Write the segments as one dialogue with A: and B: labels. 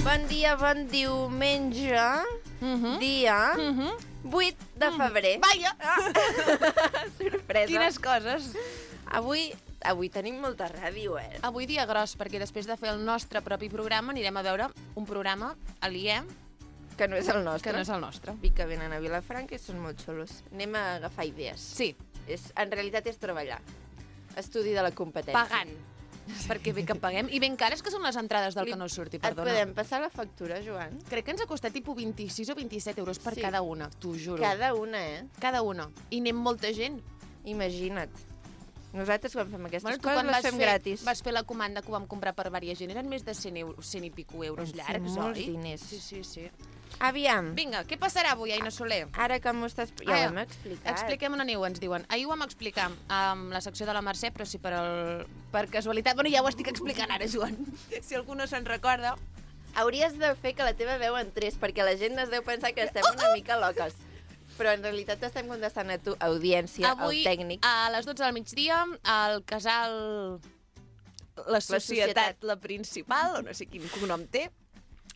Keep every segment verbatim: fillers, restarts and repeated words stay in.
A: Bon dia, bon diumenge, uh-huh. dia uh-huh. vuit de febrer.
B: Mm. Vaja!
A: Ah. Sorpresa.
B: Quines coses.
A: Avui, avui tenim molta ràdio, eh?
B: Avui dia gros, perquè després de fer el nostre propi programa anirem a veure un programa aliè
A: que no és el nostre.
B: Que no és el nostre.
A: I que venen a Vilafranca i són molt xulos. Anem a agafar idees.
B: Sí.
A: És, en realitat és treballar. Estudi de la competència.
B: Pagant. Perquè bé que paguem. I ben cares que són les entrades del
A: Li...
B: que no surti,
A: Et
B: perdona.
A: podem passar la factura, Joan?
B: Crec que ens ha costat tipus vint-i-sis o vint-i-set euros per
A: Sí.
B: cada una, t'ho juro.
A: Cada una, eh?
B: Cada una. I anem molta gent.
A: Imagina't. Nosaltres quan fem aquestes
B: Bueno, tu
A: coses
B: quan
A: les
B: vas
A: fem
B: fer,
A: gratis.
B: vas fer la comanda que ho vam comprar per diversa gent, eren més de cent, euros, cent i pico euros
A: Sí,
B: llargs,
A: molts
B: oi?
A: diners.
B: Sí, sí, sí.
A: Aviam.
B: Vinga, què passarà avui, Aina Soler?
A: Ara que m'ho estàs... Ja
B: Ah,
A: ho hem explicat.
B: Expliquem on aneu, ens diuen. Ahir ho vam explicar amb la secció de la Mercè, però si per, el... per casualitat... Bueno, ja ho estic explicant ara, Joan. Si algú no se'n recorda.
A: Hauries de fer que la teva veu entrés, perquè la gent es deu pensar que estem una mica loques. Però en realitat estem contestant a tu, audiència,
B: Avui,
A: al tècnic.
B: a les dotze del migdia, al casal... La societat, la,
A: societat.
B: la principal, o no sé quin cognom té,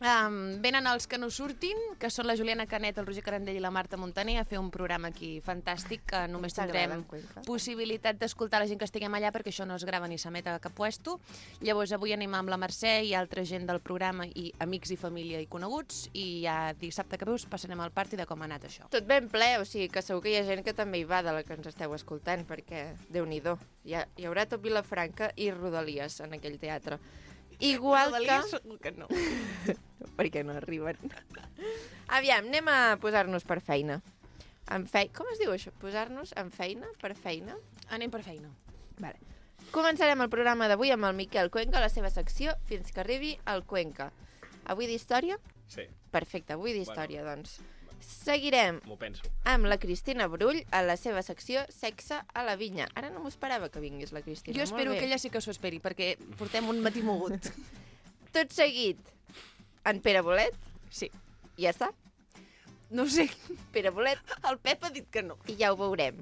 B: Um, venen els que no surtin, que són la Juliana Canet, el Roger Carandell i la Marta Montaner, a fer un programa aquí fantàstic, que només tindrem possibilitat d'escoltar la gent que estiguem allà, perquè això no es grava ni s'emet a cap puesto. Llavors avui anem amb la Mercè i altra gent del programa, i amics i família i coneguts, i ja dissabte que veus passarem al party de com ha anat això.
A: Tot ben ple, o sigui que segur que hi ha gent que també hi va de la que ens esteu escoltant, perquè, Déu-n'hi-do, hi, ha, hi haurà tot Vilafranca i Rodalies en aquell teatre. Igual
B: Rodalies,
A: que...
B: segur que no.
A: perquè no arriben. Aviam, anem a posar-nos per feina. En fe... Com es diu això? Posar-nos en feina? Per feina?
B: Anem per feina.
A: Vale. Començarem el programa d'avui amb el Miquel Cuenca, la seva secció, fins que arribi el Cuenca. Avui d'història?
C: Sí.
A: Perfecte, avui d'història,
C: bueno,
A: doncs. Seguirem
C: m'ho penso.
A: amb la Cristina Brull a la seva secció Sexe a la vinya. Ara no m'ho esperava que vingués la Cristina.
B: Jo espero que ella sí que s'ho esperi, perquè portem un matí mogut.
A: Tot seguit, en Pere Bolet.
B: Sí.
A: Ja està.
B: No ho sé.
A: Pere Bolet.
B: El Pep ha dit que no.
A: I ja ho veurem.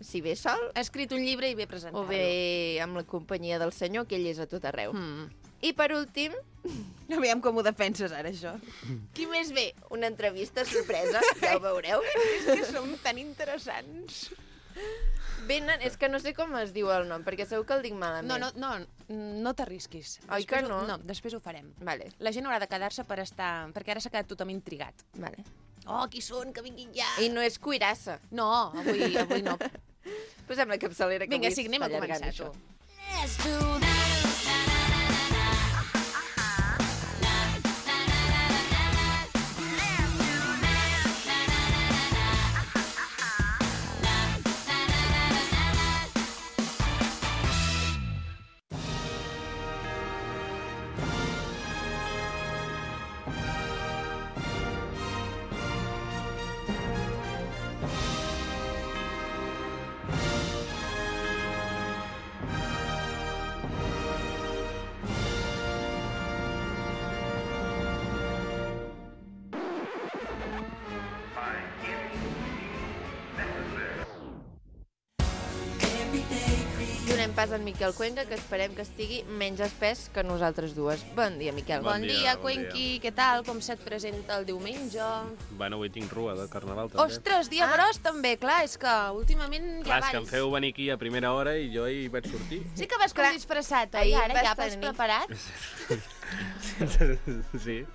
A: Si ve sol...
B: Ha escrit un llibre i ve presentar-lo.
A: O bé amb la companyia del senyor, que ell és a tot arreu.
B: Mm.
A: I per últim...
B: Aviam com ho defenses ara, això. Qui més ve?
A: Una entrevista sorpresa, ja ho veureu.
B: És que som tan interessants.
A: Venen, és que no sé com es diu el nom, perquè segur que el dic malament.
B: No, no, no, no t'arrisquis.
A: Oi
B: Després
A: que no?
B: Ho, no, després ho farem.
A: Vale,
B: La gent haurà de quedar-se per estar... Perquè ara s'ha quedat tothom intrigat.
A: vale.
B: Oh, qui són? Que vinguin ja!
A: I no és cuirassa.
B: No, avui, avui no.
A: Posem la capçalera que
B: Vinga,
A: avui
B: sí, anem a
A: s'està allargant,
B: començar,
A: això.
B: tu.
D: Let's do this.
A: Donem pas al Miquel Cuenca, que esperem que estigui menys espès que nosaltres dues. Bon dia, Miquel.
B: Bon,
C: Bon
B: dia,
C: dia, bon
B: Cuenqui, què tal? Com se't presenta el diumenge?
C: Bueno, avui tinc rua de carnaval, també.
B: Ostres, dia
A: Ah.
B: gros, també. Clar, és que últimament
C: Clar,
B: ja
C: és que em
B: balls.
C: feu venir aquí a primera hora i jo hi vaig sortir.
B: Sí que vas com
A: Clar,
B: disfressat, oi?
A: ahir
B: Ara
A: vas
B: ja vas
A: tenir-
B: preparat?
C: Sí.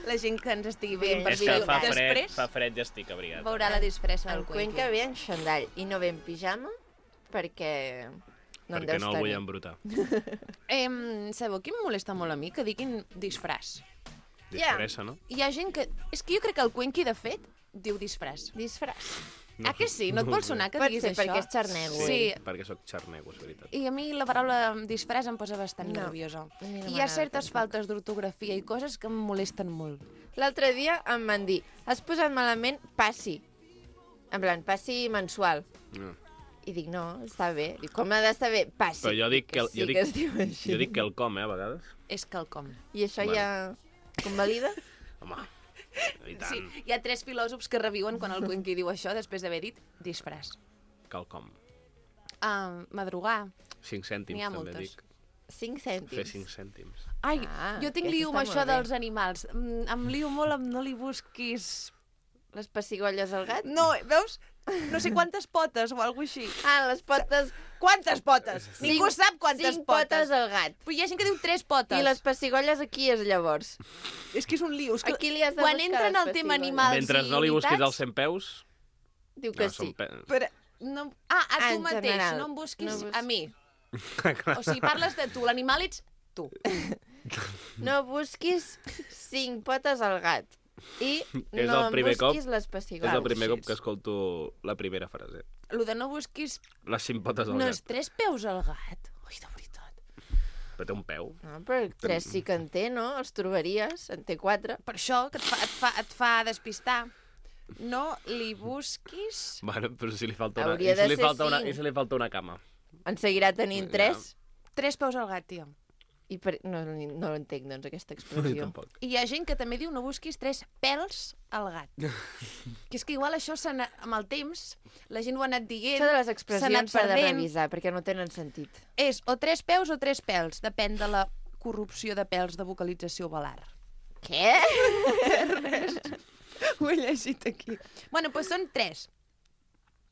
B: La gent que ens estigui veient per
C: És que
B: vídeo
C: fa fred,
B: després
C: fa fred i estic abrigat.
B: veurà la disfressa
A: El
B: del
A: Cuenca ve en xandall i no ve en pijama perquè no en
C: perquè
A: deus
C: no el vull
A: tenir.
C: embrutar.
B: Eh, sabeu qui em molesta molt a mi? Que diguin disfraç.
C: Disfressa, no?
B: Hi ha gent que... És que jo crec que el Cuenqui, de fet, diu disfraç.
A: Disfraç.
C: No,
B: Ah, que sí? No et
C: no
B: vol
C: ho sé.
B: sonar que
A: Pot
B: diguis
A: ser
B: això?
A: perquè és xarnego,
B: Sí,
A: ell.
C: Perquè sóc xarnego, és veritat.
B: i a mi la paraula disfraç em posa bastant
A: No,
B: nerviosa.
A: a mi no
B: I hi
A: m'agrada
B: ha certes
A: tampoc.
B: faltes d'ortografia i coses que em molesten molt.
A: L'altre dia em van dir, has posat malament passi. En plan, passi mensual.
C: No.
A: I dic, no, està bé. Dic, com ha d'estar bé? Passi.
C: Però jo dic que,
A: sí
C: jo dic,
A: que es diu així.
C: jo dic que el com, eh, a vegades.
B: És quelcom.
A: I això
C: Bueno.
A: ja convalida?
C: Home, i tant,
B: Sí, hi ha tres filòsofs que reviuen quan el Cuenqui diu això després d'haver dit disfraç.
C: quelcom.
B: Uh, madrugar.
C: Cinc
B: N'hi
C: cèntims,
B: ha
C: també
B: moltes.
C: dic.
A: cinc cèntims.
C: Fer cinc cèntims.
B: Ai,
A: Ah,
B: jo tinc
A: aquesta
B: lío amb
A: està
B: això
A: molt bé.
B: dels animals. Mm, em lío molt amb no li busquis...
A: Les pessigolles al gat?
B: No, veus? No sé quantes potes o alguna així.
A: Ah, les potes...
B: Quantes potes? Ningú sap quantes
A: cinc
B: potes.
A: potes al gat.
B: Però hi ha gent que diu tres potes.
A: I les pessigolles aquí és llavors.
B: És que és un lío. És que...
A: Aquí li has de
B: Quan
A: buscar
B: entra en
A: les
B: el tema
A: pessigolles.
B: animals
C: Mentre
B: i
C: no li busquis
B: unitats...
C: els cent peus...
A: Diu que
C: no,
A: sí.
C: són pe...
B: Però, no... Ah, a
A: Ah,
B: tu
A: en
B: mateix,
A: general.
B: no em busquis
A: No bus-
B: a mi. O sigui, parles de tu, l'animal ets tu.
A: No busquis cinc potes al gat. I
C: És
A: no
C: el
A: em
C: primer cop-
A: busquis les
C: És
A: pessigolles.
C: el primer cop que escolto la primera frase.
B: Lo de no busquis...
C: Les cinc potes al
B: No
C: gat.
B: és tres peus al gat. Ui, de veritat.
C: Però té un peu.
A: No, però tres sí que en té, no? Els trobaries. En té quatre.
B: Per això que et fa, et fa, et fa despistar. No li busquis...
C: Bueno, però si li falta una...
A: Hauria
C: I si
A: de
C: li
A: ser
C: falta una...
A: cinc.
C: I si li falta una cama?
A: En seguirà tenint
C: Ja.
A: tres.
B: Tres peus al gat, tio.
A: I per... no, no l'entenc, doncs, aquesta
C: Jo
A: expressió.
C: tampoc.
B: I hi ha gent que també diu no busquis tres pèls al gat. Que és que igual això s'ha anat- amb el temps, la gent ho ha anat dient,
A: Això de les
B: s'ha anat
A: expressions s'ha de
B: perdent.
A: revisar, perquè no tenen sentit.
B: És o tres peus o tres pèls, depèn de la corrupció de pèls de vocalització valar.
A: Què?
B: Ho he llegit aquí. Bueno, doncs són tres.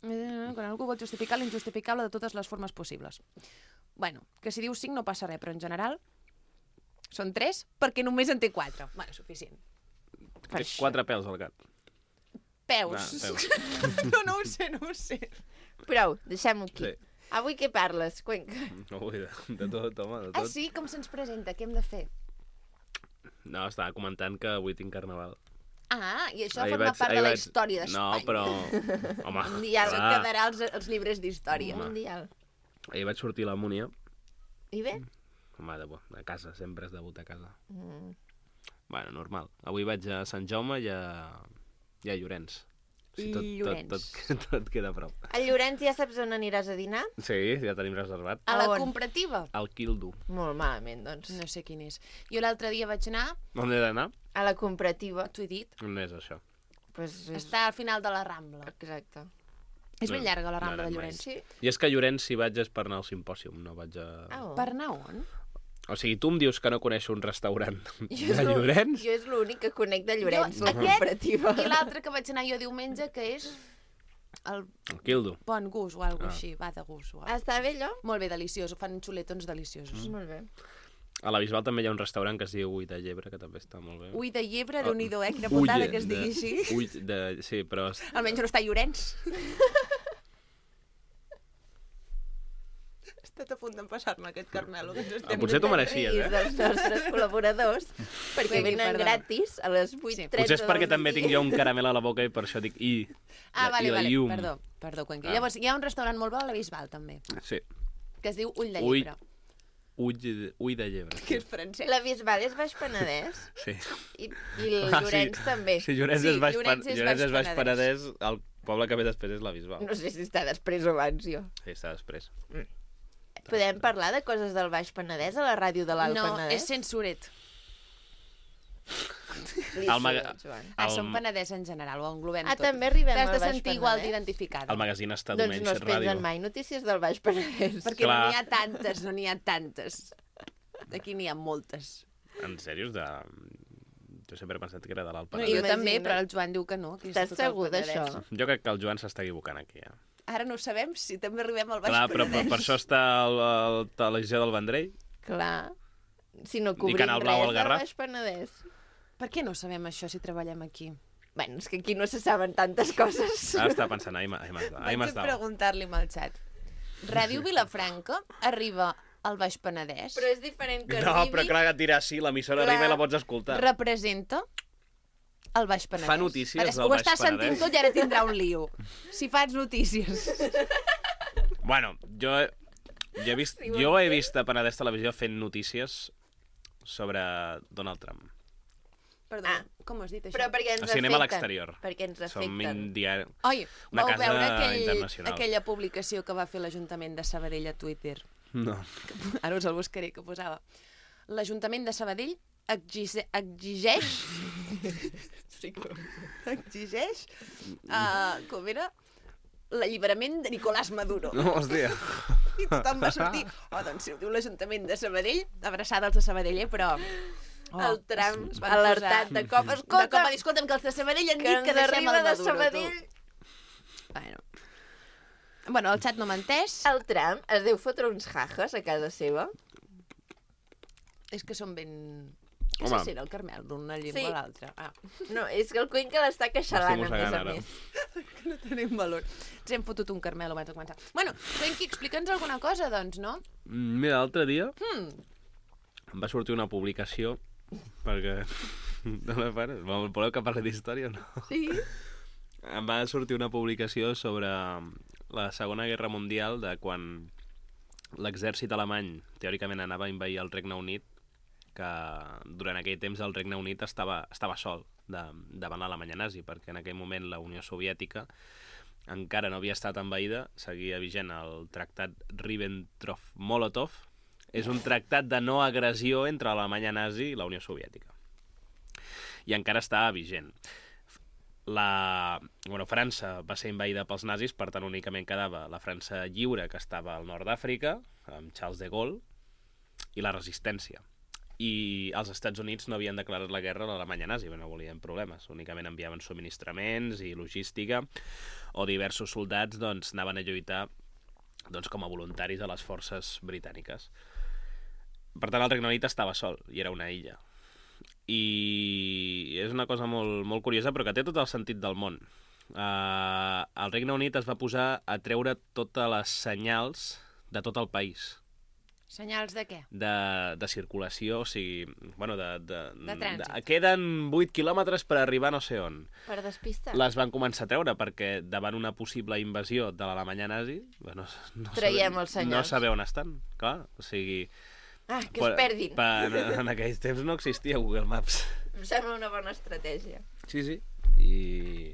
B: Eh, Quan algú vol justificar l'injustificable de totes les formes possibles. Bueno, que si dius cinc no passa res, però en general són tres perquè només en té quatre. Bueno, suficient.
A: Per
C: Té
A: això.
C: quatre pèls al gat.
B: Peus.
C: Ah, peus.
B: no, no ho sé, no ho sé.
A: Prou, deixem-ho aquí.
C: Sí.
A: Avui què parles, Cuenca?
C: No vull de, de tot, home, de
B: Ah,
C: tot.
B: sí? Com se'ns presenta? Què hem de fer?
C: No, estava comentant que avui tinc carnaval.
B: Ah, i això
C: Ahir
B: forma
C: vaig-
B: part
C: ahir
B: de la
C: vaig-
B: història
C: No,
B: d'Espanya.
C: però... Home,
A: Un dia
B: Això
C: clar.
B: quedarà als, als llibres d'història.
C: Home.
A: Mundial.
C: Ahir vaig sortir a la Múnia.
A: I bé?
C: Home, de, a casa, sempre és debut a casa.
A: Mm.
C: Bueno, normal. Avui vaig a Sant Jaume i a, i a Llorenç.
B: I
C: tot,
B: Llorenç.
C: Tot, tot, tot queda a prop.
A: A Llorenç ja saps on aniràs a dinar?
C: Sí, ja tenim reservat.
B: A la
A: A on?
B: comparativa?
C: Al Quildo.
A: Molt malament, doncs.
B: No sé quin és. Jo l'altre dia vaig anar,
C: On he d'anar?
A: A la comparativa.
B: t'ho he dit,
C: On és això?
A: Pues és...
B: està al final de la Rambla.
A: Exacte.
B: És ben
C: No,
B: llarga la
C: no
B: Rambla
C: he
B: de
C: anat mai.
B: Llorenç.
A: Sí?
C: I és que a Llorenç si vaig és per anar al simpòsium, no vaig a...
A: Ah, oh.
B: Per anar on?
C: O sigui, tu em dius que no coneixes un restaurant
A: Jo
C: de
A: és l'ú-
C: Llorenç?
A: Jo és l'únic que conec de Llorenç,
B: Jo,
A: la
B: aquest
A: comparativa.
B: I l'altre que vaig anar jo diumenge, que és el
C: El Quildo.
B: Bon Gust o alguna
C: Ah.
B: així, va de gust. O
A: Ah, està bé, allò?
B: Molt bé, deliciós, fan xuletons deliciosos.
A: Molt bé.
C: A la Bisbal també hi ha un restaurant que es diu Ull de Llebre, que també està molt bé.
B: Ui de llebre,
C: Ah,
B: déu-n'hi-do, eh? Quina putada
C: Ull
B: que es digui
C: de-
B: així.
C: Ull de... Sí, però... es-
B: Almenys no està a Llorenç. He estat a punt d'empassar-me aquest carmelo. Que ens
C: Ah,
B: estem
C: potser t'ho
A: No te'n
C: mereixies,
A: riguis
C: eh?
A: dels nostres col·laboradors, perquè
B: Vengui,
A: venen
B: perdó.
A: gratis a les vuit
B: Sí.
A: trenta
C: Potser és perquè
A: del
C: també tinc
A: migdia.
C: jo un caramel a la boca i per això dic I.
B: Ah,
C: la-
B: vale,
C: i la
B: vale,
C: llum.
B: perdó, perdó, Cuenca.
C: Ah.
B: Llavors, hi ha un restaurant molt bo a la Bisbal, també,
C: Sí.
B: que es diu Ull de
C: Ull-
B: Llebre,
C: Ull de, ull de Llebre.
B: que és francès.
A: La Bisbal és Baix Penedès
C: Sí.
A: i, i el
C: Ah,
A: Llorenç
C: sí.
A: també.
C: Si Llorenç
B: Sí,
C: és Baix,
B: Llorenç
C: Pen-
B: és
C: Llorenç
B: Baix
C: és Baix
B: Penedès.
C: Penedès, el poble que ve després és la Bisbal.
A: No sé si està després o abans, jo.
C: Sí, està després.
A: Podem parlar de coses del Baix Penedès a la ràdio de l'Alt
B: No,
A: Penedès?
B: és censuret.
A: Li
C: El
A: surt,
C: maga-
A: Joan.
B: Ah,
C: El-
B: som Penedès en general, ho englobem
A: Ah,
B: tot.
A: també arribem
B: T'has
A: al
B: de
A: Baix
B: sentir igual
A: Penedès?
B: d'identificada.
C: El magazín
A: Doncs
C: estadounidense
A: no es pengen
C: Ràdio.
A: mai notícies del Baix Penedès.
B: Perquè
C: Clar.
B: no n'hi ha tantes, no n'hi ha tantes. Aquí n'hi ha moltes.
C: En sèrio, és de... Jo sempre he pensat que era de l'Alt
B: No,
C: Penedès.
B: jo també,
A: Imagina't.
B: però el Joan diu que no. Que és
A: Estàs
B: tot el
A: segur
B: Penedès.
A: d'això?
C: Jo crec que el Joan s'està equivocant aquí, ja.
B: Ara no ho sabem si també arribem al Baix
C: Clar, però per,
B: Penedès.
C: per això està el, el televisió del Vendrell.
A: Clar. Si no cobrim
C: Canal Blau
A: res
C: al
A: del
C: Garraf.
A: Baix Penedès.
B: Per què no sabem això si treballem aquí?
A: Bueno, és que aquí no se saben tantes coses.
C: Ara estava pensant, ahir m'ha- ahir m'ha- ahir
B: Vaig a
C: m'estava.
B: preguntar-li amb el xat. Ràdio Vilafranca arriba al Baix Penedès?
A: Però és diferent que
C: No,
A: arribi...
C: però clar, que tira així, l'emissora
A: Clar.
C: arriba i la pots escoltar.
B: Representa el Baix Penedès.
C: Fa notícies
B: Ara,
C: del
B: ho
C: Baix
B: estàs sentint
C: Penedès?
B: tot i ara tindrà un lío. Si fas notícies.
C: Bueno, jo, jo, he vist, jo he vist a Penedès Televisió fent notícies sobre Donald Trump.
B: Perdó,
A: Ah.
B: com has dit això?
A: Però perquè ens
C: A cinema a
A: afecten.
C: l'exterior.
A: Perquè ens
C: Som
A: afecten.
C: un diari...
B: Oi,
C: Una
B: vau
C: casa
B: veure aquell,
C: internacional.
B: aquella publicació que va fer l'Ajuntament de Sabadell a Twitter?
C: No.
B: Ara us el buscaré, que posava. L'Ajuntament de Sabadell exige, exigeix... exigeix... Uh, com era? L'alliberament de Nicolás Maduro.
C: No, hòstia.
B: I tothom va sortir. Oh, doncs si ho diu l'Ajuntament de Sabadell, abraçada als de Sabadell, eh, però...
A: Oh, el tram alertat de cop. Escolta,
B: de cop va dir, escolta'm, que els de Sabadell han dit que deixem el Maduro, Sabadell. Bueno. bueno, el xat no menteix.
A: El tram es deu fotre uns jajas a casa seva.
B: És que són ben... No sé si era el Carmel d'una llengua sí. a l'altra. Ah.
A: No, és que el Cuenca l'està queixalant, a més a més.
B: Que no tenim valor. Ens hem fotut un Carmel abans de començar. Bueno, Cuenqui, explica'ns alguna cosa, doncs, no?
C: Mira, l'altre dia
B: hmm.
C: em va sortir una publicació perquè... No la pares? Voleu que parli d'història o no?
B: Sí.
C: Em va sortir una publicació sobre la Segona Guerra Mundial, de quan l'exèrcit alemany teòricament anava a invair el Regne Unit, que durant aquell temps el Regne Unit estava, estava sol de, davant l'Alemanya nazi, perquè en aquell moment la Unió Soviètica encara no havia estat envaïda, seguia vigent el tractat Ribbentrop-Molotov. És un tractat de no agressió entre l'Alemanya nazi i la Unió Soviètica. I encara estava vigent. La... Bueno, França va ser envaïda pels nazis, per tant únicament quedava la França lliure, que estava al nord d'Àfrica, amb Charles de Gaulle, i la resistència. I els Estats Units no havien declarat la guerra a l'Alemanya nazi, no volien problemes, únicament enviaven subministraments i logística, o diversos soldats doncs, anaven a lluitar doncs, com a voluntaris a les forces britàniques. Per tant, el Regne Unit estava sol, i era una illa. I és una cosa molt, molt curiosa, però que té tot el sentit del món. Uh, el Regne Unit es va posar a treure totes les senyals de tot el país.
B: Senyals de què?
C: De, de circulació, o sigui... Bueno, de... De,
B: de trànsit.
C: De, queden vuit quilòmetres per arribar no sé on.
A: Per despistar.
C: Les van començar a treure perquè davant una possible invasió de l'Alemanya nazi... Bueno, no
A: traiem
C: sabe,
A: els senyals.
C: No saber on estan, clar. O sigui...
A: Ah, que es perdin.
C: Per, per, en aquells temps no existia Google Maps.
A: Em sembla una bona estratègia.
C: Sí, sí. I...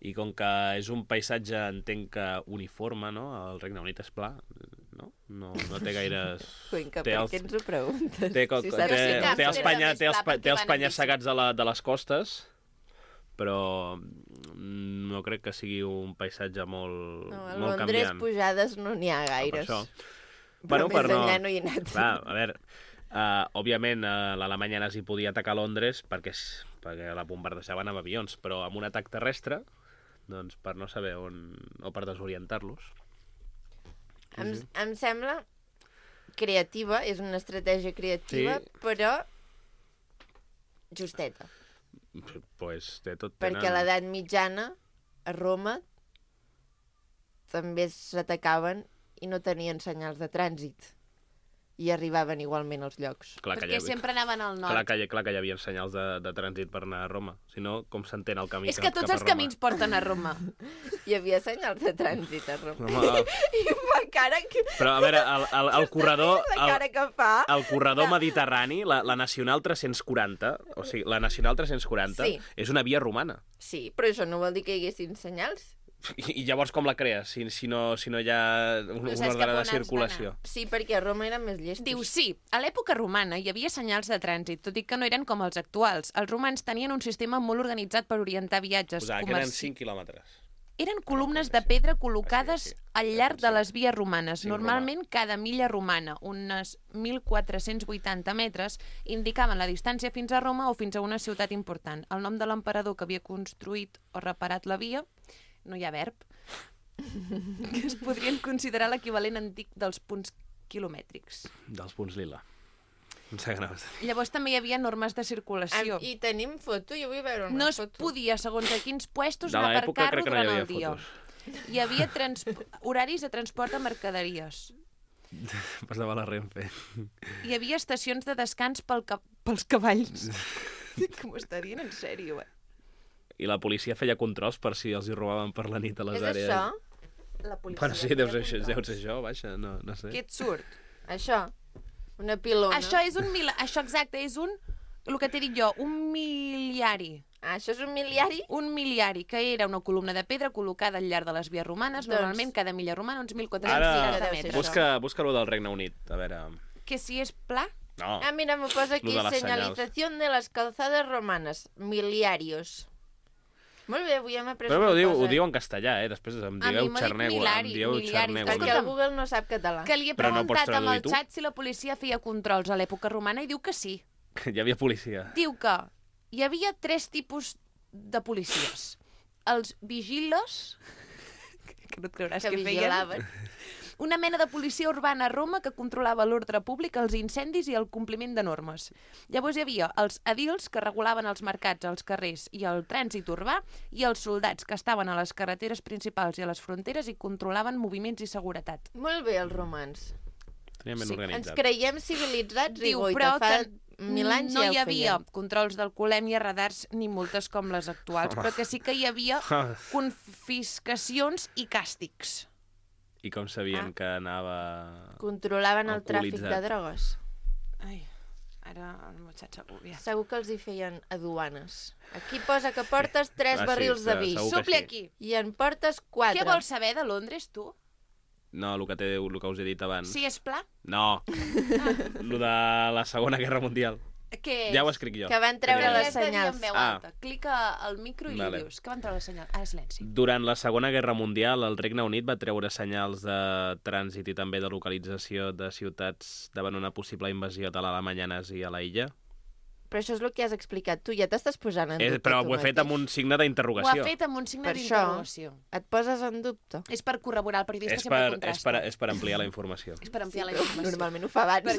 C: I com que és un paisatge, entenc que uniforme, no? El Regne Unit és pla, no? No, no té gaires...
A: Cuenca, per què ens ho preguntes?
C: Té, si té, té, té els, penya, té els, té els penyes segats de, la, de les costes, però no crec que sigui un paisatge molt, no, molt canviant.
A: A Londres pujades no n'hi ha gaires.
C: Per això.
A: Però
C: bueno,
A: més enllà no, no hi ha anat.
C: Clar, a veure, uh, òbviament uh, l'Alemanya nazi podia atacar Londres perquè, perquè la bombardejaven amb avions, però amb un atac terrestre, doncs per no saber on... o per desorientar-los.
A: Em, sí. em sembla creativa, és una estratègia creativa, sí. Però justeta.
C: Pues té tot
A: perquè
C: tenen...
A: a l'edat mitjana, a Roma, també s'atacaven i no tenien senyals de trànsit. I arribaven igualment als llocs.
B: Clar perquè havia... sempre anaven al nord.
C: Clar que, clar que hi havia senyals de, de trànsit per anar a Roma. Si no, com s'entén el camí
B: És que tots els camins porten a Roma.
A: Hi havia senyals de trànsit a Roma. Home, I, I fa cara que...
C: Però, a veure, el, el, el corredor...
A: La cara que fa...
C: El corredor no. mediterrani, la, la Nacional tres-cents quaranta, o sigui, la Nacional tres-cents quaranta sí. És una via romana.
A: Sí, però això no vol dir que hi haguessin senyals.
C: I, i llavors com la crees, si, si, no, si no hi ha un, no un ordre de circulació?
A: Sí, perquè a Roma eren més llestos.
B: Diu, sí, a l'època romana hi havia senyals de trànsit, tot i que no eren com els actuals. Els romans tenien un sistema molt organitzat per orientar viatges.
C: Posava que eren cinc quilòmetres.
B: Eren columnes de pedra col·locades ah, sí, sí. al llarg de les vies romanes. Normalment, cada milla romana, unes mil quatre-cents vuitanta metres, indicaven la distància fins a Roma o fins a una ciutat important. El nom de l'emperador que havia construït o reparat la via... No hi ha verb, que es podrien considerar l'equivalent antic dels punts quilomètrics.
C: Dels punts lila.
B: Llavors també hi havia normes de circulació.
A: Am, I tenim foto? Jo vull veure una
B: no
A: foto.
B: No es podia, segons a quins puestos, anar per carro durant no el dia. Fotos. Hi havia trans... horaris de transport de mercaderies.
C: Passava la Renfe.
B: Hi havia estacions de descans pel ca... pels cavalls. Que m'ho està dient en sèrio, eh?
C: I la policia feia controls per si els hi robaven per la nit a les
A: és
C: àrees.
A: És això? La policia
C: bueno, sí, deu ser, deu ser això, baixa, no, no sé.
B: Què et surt?
A: Això, una pilona.
B: Això és un mil... Això exacte, és un... El que t'he dit jo, un miliari.
A: Ah, això és un miliari?
B: Un miliari, que era una columna de pedra col·locada al llarg de les vies romanes, doncs... normalment cada milla romana uns mil quatre-cents cinquanta metres.
C: Busca, busca lo del Regne Unit, a veure...
B: Que si és pla?
C: No.
A: Ah, mira, m'ho posa aquí, senyalització de les calzades romanes, miliarios. Molt bé, avui hem après
C: Però
A: una
C: ho diu,
A: cosa.
C: ho diu en castellà, eh? Després em digueu xarnego. Em dieu xarnego.
A: Perquè el Google no sap català.
B: Que li he
C: Però no pots
B: preguntat amb el
C: traduir tu?
B: xat si la policia feia controls a l'època romana i diu que sí.
C: Que hi havia policia.
B: Diu que hi havia tres tipus de policies. Els vigilos, que no et creuràs
A: Que
B: que feien.
A: vigilaven.
B: Una mena de policia urbana a Roma que controlava l'ordre públic, els incendis i el compliment de normes. Llavors hi havia els edils, que regulaven els mercats, els carrers i el trànsit urbà, i els soldats, que estaven a les carreteres principals i a les fronteres i controlaven moviments i seguretat.
A: Molt bé, els romans.
C: Tenia ben
B: Sí,
C: organitzat.
A: Ens creiem civilitzats i
B: Diu,
A: goita,
B: però
A: fa
B: que
A: mil anys
B: no
A: ja
B: hi
A: ho
B: havia
A: feien.
B: controls d'alcoholèmia, radars ni multes com les actuals, però que sí que hi havia confiscacions i càstigs.
C: I com sabien
A: Ah.
C: que anava...
A: Controlaven el tràfic de
C: Alcoholitzat.
A: drogues.
B: Ai, ara el meu xat s'agobia.
A: Segur que els hi feien a duanes. Aquí posa que portes tres
C: Ah, sí,
A: barrils de
C: se-
A: vi.
C: segur que
B: Supli
C: sí.
B: aquí.
A: I en portes quatre.
B: Què vols saber de Londres, tu?
C: No, el que, té, el que us he dit abans.
B: Si és pla?
C: No, el de la Segona Guerra Mundial.
B: Què és?
C: Ja ho escric jo.
A: Que van treure
B: Però
A: les
B: li has de dir
A: senyals.
B: en veu
C: Ah.
B: alta. Clica al micro i
C: Vale.
B: li dius. Que van treure les senyals? Ara silenci.
C: Durant la Segona Guerra Mundial, el Regne Unit va treure senyals de trànsit i també de localització de ciutats davant una possible invasió de l'Alemanya nazi a la illa.
A: Però això és el que has explicat tu. Ja t'estàs posant en
C: Eh,
A: dubte
C: però
A: tu
C: ho he fet
A: mateix.
C: amb un signe
B: Ho ha
C: d'interrogació.
B: fet amb un signe
A: Per això-
B: d'interrogació.
A: Et poses en dubte.
B: És per corroborar el periodista,
C: És
B: sempre
C: per, és,
B: contrasta.
C: per, és per ampliar la informació.
B: És per ampliar la
A: Però
B: informació.
A: Normalment ho fa abans.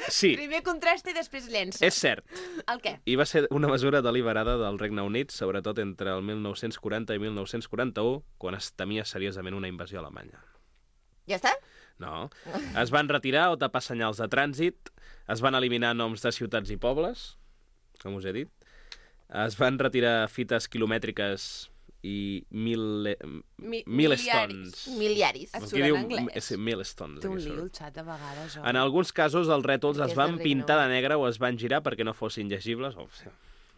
C: Sí,
B: Primer contrasta i després llença.
C: és cert.
B: El què?
C: I va ser una mesura deliberada del Regne Unit, sobretot entre el mil nou-cents quaranta i mil nou-cents quaranta-u, quan es temia seriosament una invasió alemanya.
A: Ja està?
C: No. Es van retirar o tapar senyals de trànsit, es van eliminar noms de ciutats i pobles, com us he dit, es van retirar fites quilomètriques i mil...
B: Mi
C: milestones.
A: Miliaris.
B: Et
C: Aquí
B: surt en
C: diu
B: anglès?
C: és milestones.
B: Té un
C: aquí
B: lío
C: surt.
B: el xat de vegades, oi?
C: En alguns casos els rètols
A: Perquè
C: es
A: és
C: van
A: del Regne
C: pintar de
A: Unit.
C: negre o es van girar perquè no fossin llegibles. Oh, sí,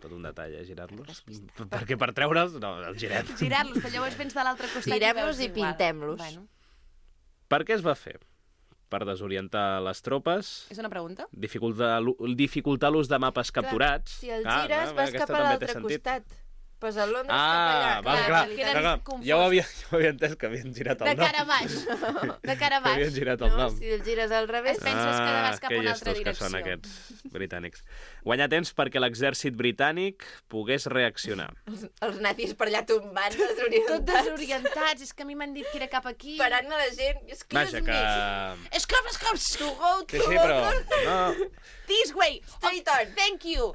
C: tot un detall, eh, girar-los. Perquè per treure'ls, no, els girem.
B: Girar-los, però llavors vens de l'altre costat
A: Girem-los
B: i
A: i
B: veus igual.
A: pintem-los.
B: Bueno,
C: Per què es va fer? Per desorientar les tropes,
B: és una pregunta?
C: dificultar l'ú- dificultar l'ús de mapes capturats.
A: Si el
C: Ah,
A: gires,
C: va,
A: vas
C: aquesta
A: cap a
C: també té
A: l'altre
C: sentit.
A: costat. Pues a Londres
C: Ah,
A: cap
C: val,
A: allà.
C: clar,
B: queden
C: clar, clar.
B: confosos.
C: Ja ho havia, ja ho havia entès, que havien girat
B: De
C: el nom.
B: cara a baix. De cara a
C: Que havien
B: baix.
C: girat el
A: No,
C: nom.
A: si el gires al revés...
B: Es penses que vas cap a
C: que
B: una altra
C: llestos que són
B: direcció.
C: aquests britànics. Guanyar temps perquè l'exèrcit britànic pogués reaccionar.
A: Els, els nazis per allà tombant,
B: Tot
A: desorientats.
B: desorientats. És que a mi m'han dit que era cap aquí.
A: Parant a la gent. Excuse
C: Vaja, que...
A: me.
B: Esclop, esclop.
A: To go to
C: Que sí, però... No.
B: This way.
A: Straight
B: Oh,
A: on.
B: thank you.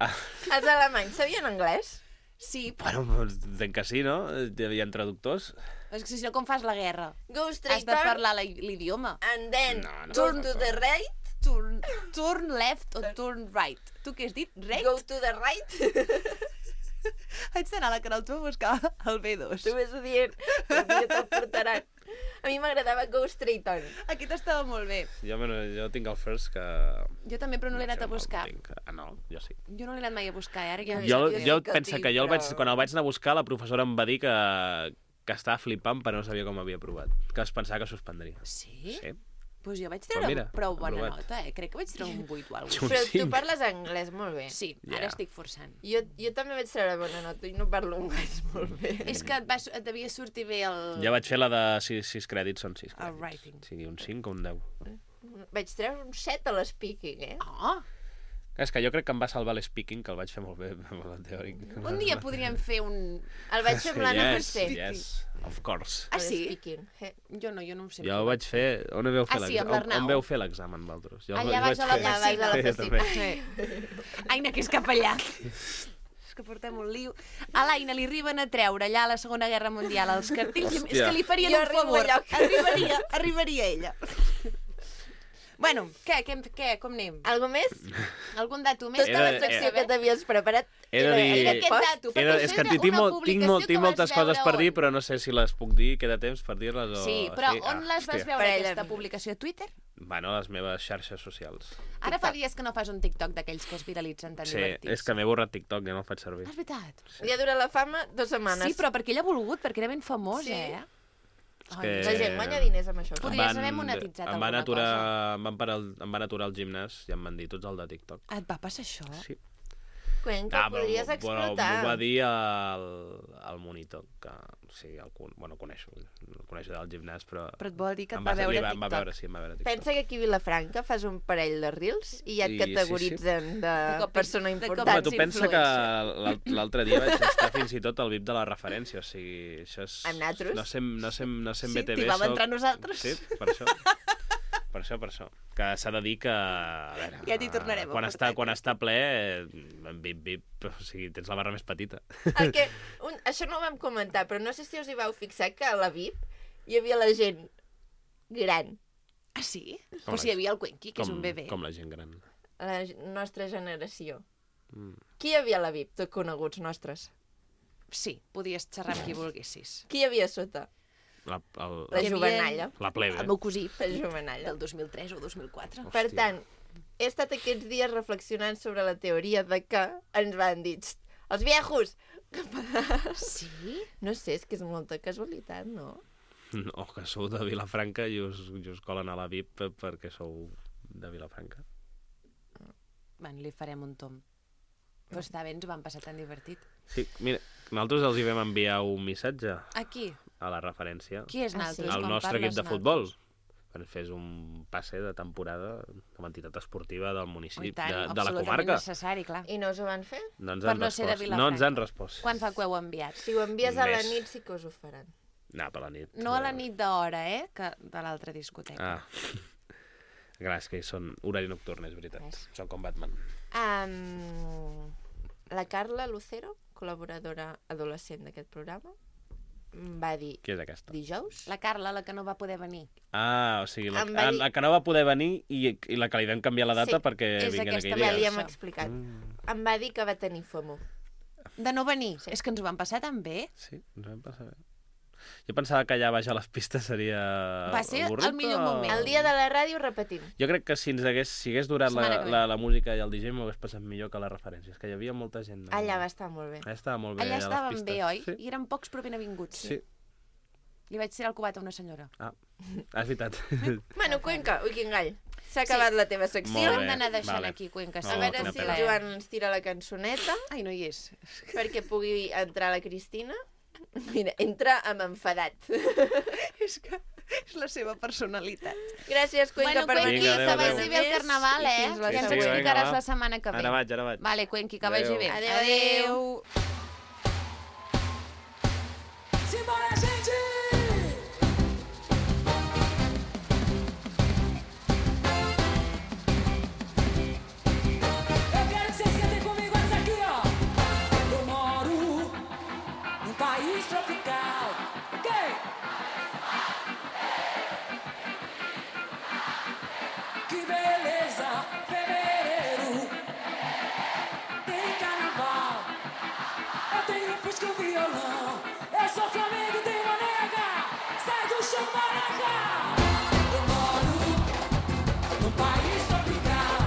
A: Els alemanys sabien anglès?
B: Sí,
C: Bueno, entenc que sí, no? Hi havia traductors.
B: és que si no, com fas la guerra?
A: Go
B: Has
A: straight
B: de
A: on
B: parlar la- l'idioma.
A: and then
C: No, no,
A: go
C: no,
A: to
C: no.
A: the right.
B: Turn, turn left o turn right. Tu què has dit? Right?
A: Go to the right.
B: Haig d'anar a la Carol a buscar el B dos.
A: Tu vés dient, un dia te'l portaran. A mi m'agradava go straight on.
B: Aquest estava molt bé.
C: Jo, bueno, jo tinc el first que...
B: Jo també, però no l'he
C: sé
B: anat a
C: on el
B: buscar.
C: tinc. Ah, no? Jo sí.
B: Jo no l'he anat mai a buscar, eh? Ara ja...
A: Jo-
C: Jo,
A: jo sí
C: jo
A: que el
C: penso
A: tinc,
C: que jo el vaig,
A: però-
C: quan el vaig anar a buscar, la professora em va dir que, que estava flipant però no sabia com havia provat. Que es pensava que suspendria.
B: Sí?
C: Sí.
B: Doncs jo vaig
C: Però
B: treure
C: mira,
B: prou bona
C: aprovat.
B: nota, eh? Crec que vaig treure un vuit o alguna
C: Un
A: Però tu
C: cinc.
A: parles anglès molt bé.
B: Sí,
C: Ja.
B: ara estic forçant.
A: Jo, jo també vaig treure bona nota i no parlo anglès molt bé.
B: És que et, va, et devia sortir bé el...
C: Ja vaig fer la de sis, sis crèdits, són sis
B: El
C: crèdits.
B: writing.
C: O sigui, un cinc o un deu.
A: Vaig treure un set a l'speaking, eh?
B: Oh!
C: És que jo crec que em va salvar l'speaking, que el vaig fer molt bé, el teòric.
B: Un dia podríem fer un...
A: El vaig fer amb l'Anna
C: Yes,
A: Mercè.
C: yes, of course.
B: Ah, sí?
A: L'speaking. Eh.
B: Jo no, jo no ho sé.
C: Jo el vaig fer... On veu fer
B: Ah, sí, amb
C: l'examen?
B: l'Arnau.
C: On, on veu fer l'examen, vosaltres? Jo el-
B: Allà
C: jo
B: baix
C: vaig
B: a la
C: fer-
A: Allà baix a la
C: Sí, jo
A: piscina.
C: també.
B: Aina, que és cap allà. És que portem un liu. A l'Aina li arriben a treure allà a la Segona Guerra Mundial els cartells. És
C: Hòstia.
B: que li farien
A: Jo
B: un
A: arribo
B: favor.
A: allà.
B: Arribaria, arribaria ella. Bueno, què, què, què, com anem?
A: Algo més?
B: Algun dato més?
A: Tota
C: He de-
A: la secció que t'havies preparat
C: He de
A: era,
C: dir-
A: era
B: Aquest
A: post.
B: dato,
C: He
B: perquè
C: de,
B: això
C: és que
B: era
C: tinc,
B: una
C: molt, tinc,
B: publicació
C: molt,
B: que
C: tinc
B: vas
C: moltes coses
B: veure
C: per dir,
B: on?
C: però no sé si les puc dir, queda temps per dir-les o...
B: Sí, però
C: sí?
B: on les vas
C: hòstia.
B: veure,
A: Parella.
B: aquesta publicació? A Twitter?
C: Bueno, les meves xarxes socials.
B: Ara fa dies que no fas un TikTok d'aquells que es viralitzen tan
C: Sí,
B: divertits.
C: és que m'he borrat TikTok, ja no el faig servir.
B: Ah, és veritat.
A: Ja dura la fama dues setmanes.
B: Sí, però perquè ell ha volgut, perquè era ben famós,
A: Sí.
B: eh?
C: És
B: Ai,
C: que-
A: La gent guanya diners amb això.
C: Em
B: Podries haver monetitzat
C: em van
B: alguna
C: aturar, em van, parar el, em van aturar el gimnàs i em van dir tots el de TikTok.
B: Et va passar això?
C: Sí.
A: Cuenca, ah, podries
C: però,
A: explotar.
C: Però m'ho va dir el, el monitor, que sí, el, bueno, coneixo, el coneixo del gimnàs, però...
B: Però et vol dir que et
C: va,
B: va veure a
C: TikTok. Va veure, sí, em va veure a TikTok.
A: Pensa que aquí a Vilafranca fas un parell de reels i ja et
C: I,
A: categoritzen sí, sí. de, de persona important.
C: Home, tu pensa que l'altre dia vaig estar fins i tot al V I P de la referència, o sigui, això és...
A: Amb nosaltres?
C: No sé, no sé, no sé en
B: sí,
C: B T V.
B: Sí, t'hi vam
C: soc...
B: entrar nosaltres.
C: Sí, per això. Per això, per això. Que s'ha de dir que... A veure,
B: ja t'hi tornarem
C: quan
B: a
C: està, quan està ple, en V I P, V I P, o sigui, tens la barra més petita.
A: El que, un, això no ho vam comentar, però no sé si us hi vau fixar que a la V I P hi havia la gent gran.
B: Ah, sí?
C: Com
B: o sigui, hi havia el Cuenqui, que
C: com,
B: és un bebè.
C: Com la gent gran.
A: La nostra generació.
C: Mm.
A: Qui hi havia a la V I P, tot coneguts nostres?
B: Sí, podies xerrar amb qui volguessis.
A: Qui hi havia sota?
C: La, el,
A: la jovenalla.
C: La plebe.
B: El meu cosí.
A: La jovenalla.
B: Del dos mil tres o dos mil quatre.
A: Per tant, he estat aquests dies reflexionant sobre la teoria de que ens van dir els viejos!
B: Sí?
A: No sé, és que és molta casualitat, no?
C: No, que sou de Vilafranca i us, i us colen a la V I P perquè sou de Vilafranca.
B: Bueno, li farem un tom. Però està bé, ens ho vam passar tan divertit.
C: Sí, mira, nosaltres els hi vam enviar un missatge.
B: A qui?
C: A la referència.
B: Qui és nosaltres?
C: Al nostre equip de futbol. Quan fes un passe de temporada com a entitat esportiva del municipi,
B: tant,
C: de, de la
B: absolutament
C: comarca.
B: necessari, clar.
A: I no us ho van fer?
C: No ens
B: Per
C: han
B: no ser de
C: respost.
B: Vilafranca.
C: No ens han respost.
B: Quan fa que ho heu enviat?
A: Si ho envies a la
C: Més.
A: nit sí que us ho faran.
C: No, per la nit.
B: No a la nit d'hora, eh? Que de l'altra discoteca.
C: Ah. Clar, és que són horari nocturn, és veritat.
A: Ves.
C: Són com Batman.
A: Um, la Carla Lucero, col·laboradora adolescent d'aquest programa, va dir...
C: Qui és aquesta?
A: Dijous?
B: La Carla, la que no va poder venir.
C: Ah, o sigui, la,
A: Em va
C: ah,
A: dir-
C: la que no va poder venir i, i la que li vam canviar la data
A: Sí,
C: perquè
B: és
C: vinguen
B: aquesta,
C: aquell
A: Ja
C: dia.
A: li hem
B: Això.
A: explicat.
C: Mm.
A: Em va dir que va tenir FOMO.
B: De no venir?
A: Sí.
B: És que ens ho van passar tan bé.
C: Sí, ens vam passar bé. Jo pensava que allà baix a les pistes seria...
B: Va ser
C: avorrit,
B: el millor
C: o-
B: moment.
A: El dia de la ràdio repetim.
C: Jo crec que si ens hagués, si hagués durat la,
B: Setmana que ve.
C: la, la música i el D J m'ho hagués passat millor que les referències, que hi havia molta gent.
A: Allà va estar molt bé.
C: Allà estava molt bé,
B: Allà
C: a les
B: estàvem
C: pistes.
B: bé, oi?
C: Sí.
B: I eren pocs però ben avinguts.
C: Sí.
B: Li vaig tirar el cubat a una senyora.
C: Ah, és veritat.
A: Bueno, Cuenca, ui, quin gall. S'ha acabat
B: Sí.
A: la teva secció.
C: Molt
B: Hem
C: bé,
B: d'anar deixant
C: vale.
B: aquí, Cuenca.
C: No,
A: A
B: sí,
A: veure
C: quina
A: si
C: pena.
A: el Joan ens tira la cançoneta
B: Ai, no hi és.
A: perquè pugui entrar la Cristina. Mira, entra amb enfadat.
B: És que és la seva personalitat.
A: Gràcies, Cuenca,
B: Bueno,
A: per
B: Cuenqui,
A: venir.
C: Vinga,
B: que
C: adéu,
B: vagi
C: adéu.
B: bé el carnaval,
A: I
B: eh?
A: fins la
B: Ja ens
C: setmana.
B: ho explicaràs
C: Vinga,
B: la setmana que ve.
C: Ara vaig, ara vaig.
B: Vale, Cuenqui, que vagi
C: Adéu.
B: bé.
A: Adéu, adéu.
D: Simbora, gente! Eu quero que vocês cantem comigo essa aqui, ó. Eu moro num país tropical, ok? Que beleza, fevereiro. Tem carnaval. Eu tenho fusca e um violão. Eu sou Flamengo e tenho uma nega. Sai do chão, maraca. Eu moro num país tropical,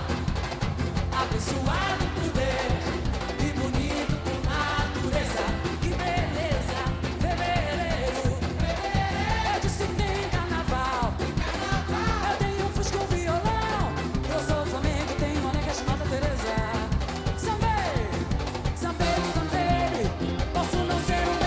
D: abençoado por Deus e bonito por natureza. Que beleza, fevereiro. Eu disse que tem carnaval. Eu tenho fusca e um violão. Eu sou Flamengo e tenho uma nega chamada Teresa. Sambei, sambei, sambei. Posso não ser um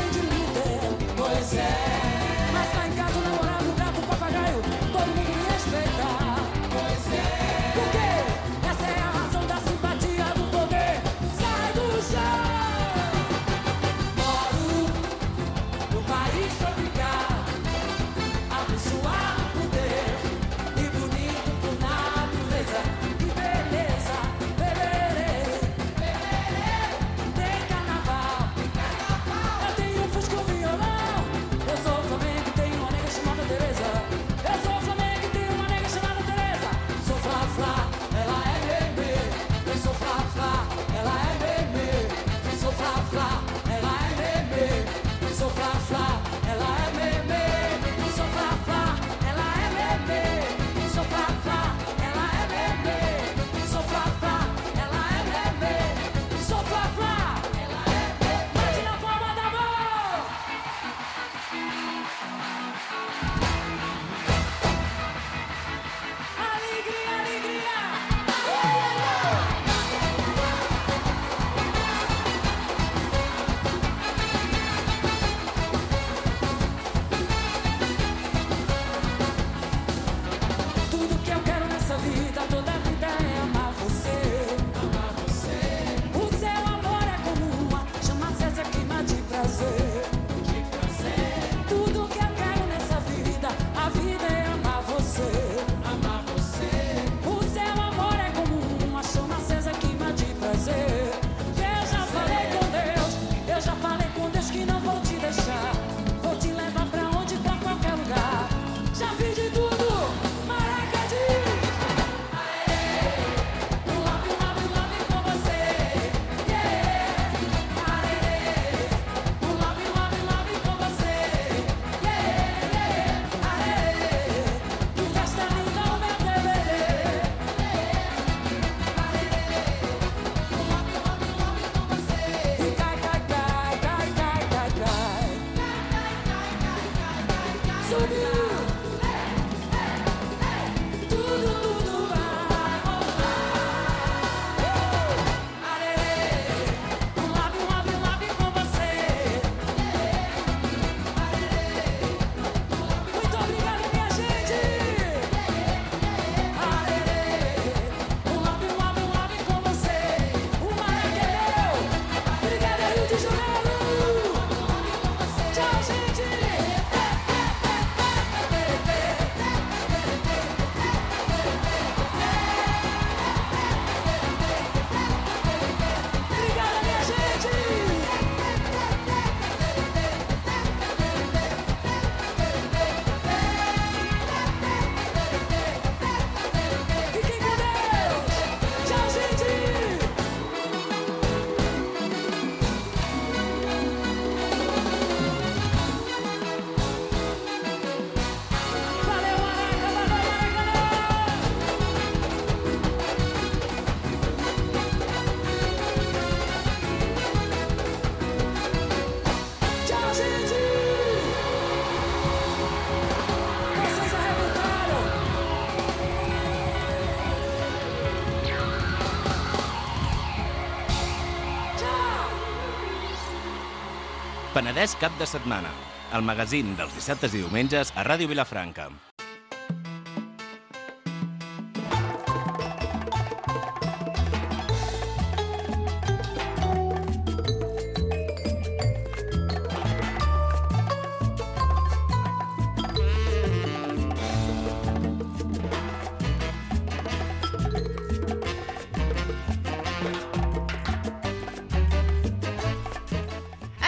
E: Penedès cap de setmana, el magazín dels dissabtes i diumenges a Ràdio Vilafranca.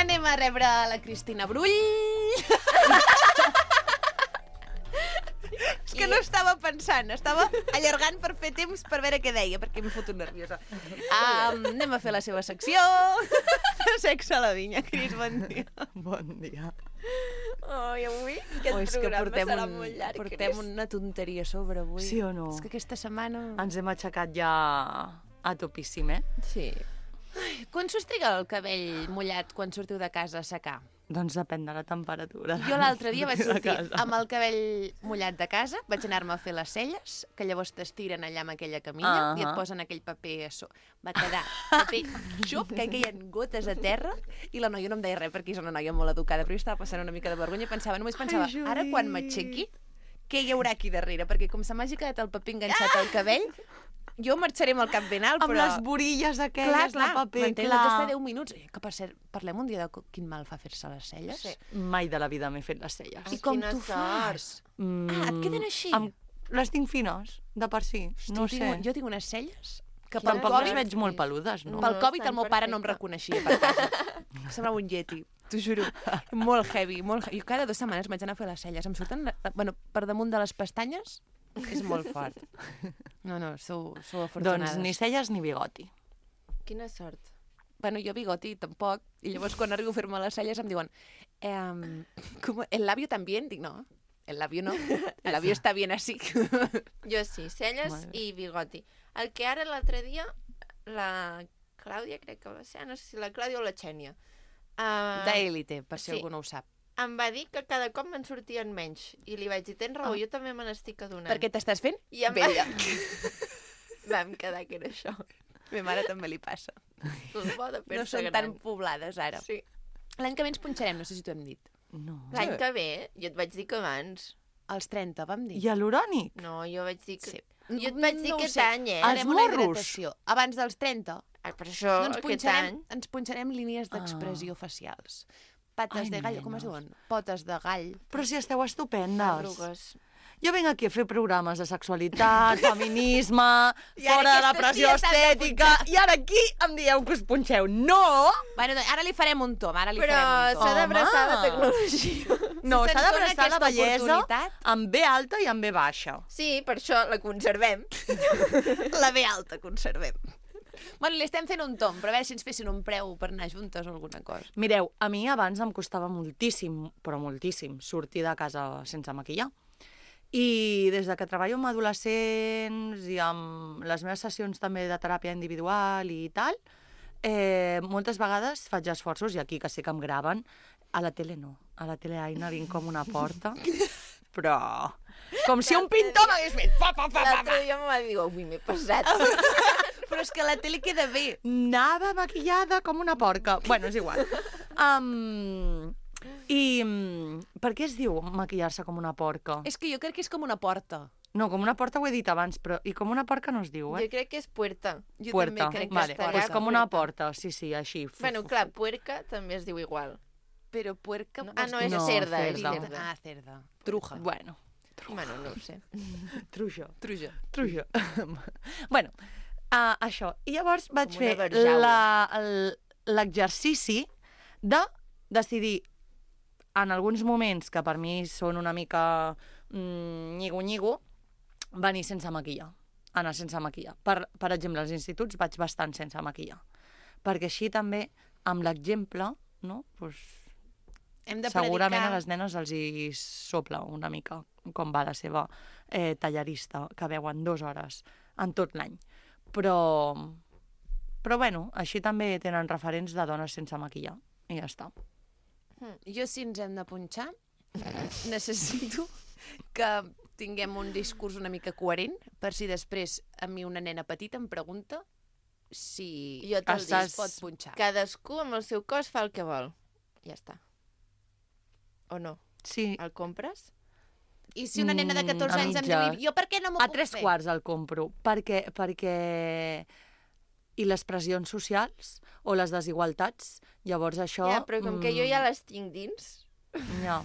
B: Anem a rebre la Cristina Brull. És que no estava pensant, estava allargant per fer temps per veure què deia, perquè m'he fotut nerviosa. Um, anem a fer la seva secció. Sexe a la vinya. Cris, bon dia.
F: Bon dia.
A: Oh, i avui aquest
B: oh,
A: programa
B: portem
A: serà
B: un,
A: molt llarg.
B: Portem
A: Cris.
B: una tonteria a sobre avui.
F: Sí o no?
B: És que aquesta setmana...
F: Ens hem aixecat ja a topíssim, eh?
A: Sí.
B: Quan s'us triga el cabell mullat quan sortiu de casa a secar?
F: Doncs depèn de la temperatura.
B: Jo l'altre dia vaig
F: de
B: sortir
F: casa.
B: amb el cabell mullat de casa, vaig anar-me a fer les celles, que llavors t'estiren allà amb aquella camilla
F: Uh-huh.
B: i et posen aquell paper a so. Va quedar paper xup, que caien gotes a terra, i la noia no em deia res perquè és una noia molt educada, però jo estava passant una mica de vergonya i pensava, només pensava,
F: Ai,
B: ara quan m'aixequi, què hi haurà aquí darrere? Perquè com se m'hagi quedat el paper enganxat al cabell, jo marxaré amb el cap ben alt,
F: Amb
B: però...
F: les borilles
B: Clar,
F: aquelles
B: clar,
F: de paper,
B: m'entens?
F: clar.
B: D'estar deu minuts. Eh, Que per cert, parlem un dia de co- quin mal fa fer-se les celles.
A: Sí.
F: Mai de la vida m'he fet les celles.
B: I com
A: Quina
B: t'ho fas?
F: Mm,
B: Ah, et queden així?
F: Amb... Les tinc fines, de per si. No
B: jo,
F: sé.
B: tinc, jo tinc unes celles que pel
F: Tampoc les
B: Covid,
F: veig molt peludes, no?
B: pel
A: No,
B: Covid
A: estan
B: el meu pare no em
A: perfecte.
B: reconeixia per casa. Semblava un yeti, t'ho juro. Molt heavy, molt heavy. Jo cada dues setmanes m'haig d'anar a fer les celles. Em surten, la- bueno, per damunt de les pestanyes, és molt fort. No, no, sou, sou afortunades.
F: Doncs ni celles ni bigoti.
A: Quina sort.
B: Bueno, jo bigoti tampoc, i llavors quan arribo a fer-me les celles em diuen ehm, com, ¿el labio también? Dic, no, el labio no, el labio està bien así.
A: Jo sí, celles
F: Madre.
A: i bigoti. El que ara l'altre dia, la Clàudia, crec que va ser, no sé si la Clàudia o la Xènia, uh,
B: D'élite, per si
A: sí.
B: algú no ho sap.
A: em va dir que cada cop me'n sortien menys. I li vaig dir, tens raó,
B: Ah.
A: jo també me n'estic adonant.
B: Per què t'estàs fent?
A: I em
B: Vella.
A: va... vam quedar que era això.
B: A mi mare també li passa.
A: El bo de
B: No
A: fer-se
B: són
A: gran.
B: tan poblades ara.
A: Sí.
B: L'any que ve ens punxarem, no sé si t'ho hem dit.
F: No.
A: L'any que ve, jo et vaig dir que abans.
B: Als trenta, vam dir.
F: I a l'urònic?
A: No, jo vaig dir que...
B: Sí.
A: Jo et vaig dir
B: No ho
A: aquest
B: sé.
A: any, eh?
F: Els
B: Farem una
F: morros.
B: hidratació. Abans dels trenta.
A: Ah, per això,
B: No ens
A: aquest
B: punxarem,
A: any...
B: ens punxarem línies d'expressió facials. Pates
F: Ai,
B: de gall, com es
F: nenes.
B: diuen? Potes de gall.
F: Però si esteu estupendes.
A: Arrugues.
F: Jo vinc aquí a fer programes de sexualitat, feminisme,
B: I ara
F: fora de la
B: aquestes
F: pressió
B: ties s'han de
F: estètica, i ara aquí em dieu que us punxeu. No!
B: Bueno, doncs ara li farem un tom, ara li
A: Però
B: farem un tom.
A: s'ha d'abraçar la
F: Home.
A: tecnologia.
F: No,
B: Si
F: s'ha
B: se'ns
F: d'abraçar
B: dona
F: la
B: aquesta
F: bellesa
B: oportunitat.
F: amb B alta i amb B baixa.
A: Sí, per això la conservem.
B: La B alta, conservem. Bueno, li estem fent un tom, però a veure si ens fessin un preu per anar juntes o alguna cosa.
F: Mireu, a mi abans em costava moltíssim, però moltíssim, sortir de casa sense maquillar. I des de que treballo amb adolescents i amb les meves sessions també de teràpia individual i tal, eh, moltes vegades faig esforços, i aquí que sé que em graven, A la tele no. A la tele Aina vinc com una porta, però... Com si un pintor m'hagués fet... Pa, pa, pa, pa,
A: L'altre dia me va dir, ui, m'he passat.
B: Però és que a la tele queda bé.
F: Anava maquillada com una porca. Bueno, és igual. Um, I um, per què es diu maquillar-se com una porca?
B: És que jo crec que és com una porta.
F: No, com una porta ho he dit abans, però... I com una porca no es diu, eh?
A: Jo crec que és puerta.
B: Jo
F: Puerta.
B: també crec que
F: Vale,
B: és
A: estarà
F: pues
B: porta.
F: com una porta, sí, sí, així. Fu,
A: Bueno,
F: fu,
A: clar,
F: fu.
A: puerca també es diu igual.
B: Però puerca...
A: Ah, no, és
F: No,
A: cerda, és
F: cerda.
A: cerda.
B: Ah, cerda. Truja.
F: Bueno,
A: Bueno, no ho sé.
F: trujo.
B: Truja.
F: Trujo. bueno, uh, això. I llavors vaig
A: Com
F: fer
A: una barjaula.
F: la- el- l'exercici de decidir en alguns moments que per mi són una mica mm, nyigo-nyigo, venir sense maquillar, anar sense maquillar. Per, per exemple, als instituts vaig bastant sense maquillar, perquè així també, amb l'exemple, no? pues,
B: Hem de
F: segurament
B: predicar...
F: a les nenes els hi sopla una mica com va la seva eh, tallarista, que veuen dues hores en tot l'any. Però, però bueno, així també tenen referents de dones sense maquillar, i ja està.
B: Jo, si ens hem de punxar, necessito que tinguem un discurs una mica coherent, per si després a mi una nena petita em pregunta si
A: Jo te'l
F: Estàs-
A: dic.
B: es pot punxar.
A: Cadascú amb el seu cos fa el que vol. Ja està. O no?
F: Sí,
A: El compres?
B: I si una nena de catorze
F: Mm, a
B: anys em
F: mitges.
B: diu, jo per què no m'ho
F: a
B: puc
F: tres
B: fer?
F: quarts el compro, perquè, perquè... I les pressions socials o les desigualtats, llavors això...
A: Ja, però com que jo ja
F: mm,
A: les tinc dins...
F: Ja.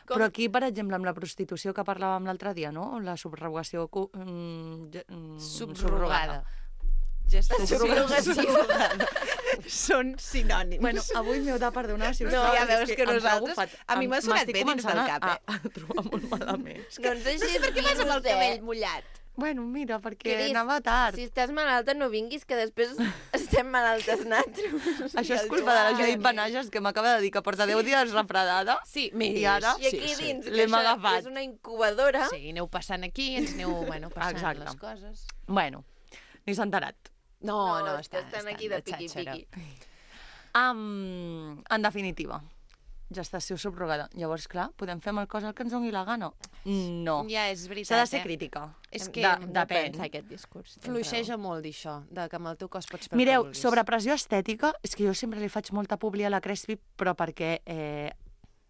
A: Com...
F: Però aquí, per exemple, amb la prostitució que parlàvem l'altre dia, no? La subrogació... cu- mm, ge- mm,
B: Subrogada.
A: Subrogació.
B: Són sinònims.
F: Bueno, avui m'heu de perdonar si us
B: No,
F: plau,
B: ja
F: és
B: veus que
F: ens ha
B: nosaltres-
F: agafat.
B: a mi m'ha
F: Em-
B: sonat
F: m'estic
B: bé dins del
F: començant
B: cap,
F: a,
B: eh?
F: a trobar molt malament.
A: Doncs deixi
B: Per què vas amb el cabell mullat?
F: Bueno, mira, perquè
A: Cris,
F: anava tard.
A: Si estàs malalta, no vinguis, que després estem malaltes nosaltres.
F: Això és culpa de la Judit Benages, que m'acaba de dir que porta deu dies refredada.
B: Sí, més.
F: I ara?
A: I aquí dins, que
F: L'hem
A: això
F: agafat.
A: és una incubadora.
B: Sí, aneu passant aquí, ens aneu bueno, passant
F: Exacte.
B: les coses.
F: Bueno, ni s'ha enterat.
B: No,
A: No,
B: no,
A: és que
B: estan,
A: estan aquí de piqui-piqui.
F: Um, en definitiva, gestació subrogada. Llavors, clar, podem fer amb el cos el que ens doni la gana? No.
B: Ja, és veritat,
F: S'ha de ser
B: eh?
F: crítica.
B: És
A: Hem
B: que
F: de,
A: hem de
F: depèn.
A: pensar aquest discurs. tens
B: Fluixeja
A: raó.
B: molt dir això, de que amb el teu cos pots fer
F: Mireu,
B: el que vulguis.
F: sobre pressió estètica, és que jo sempre li faig molta publi a la Crespi, però perquè eh,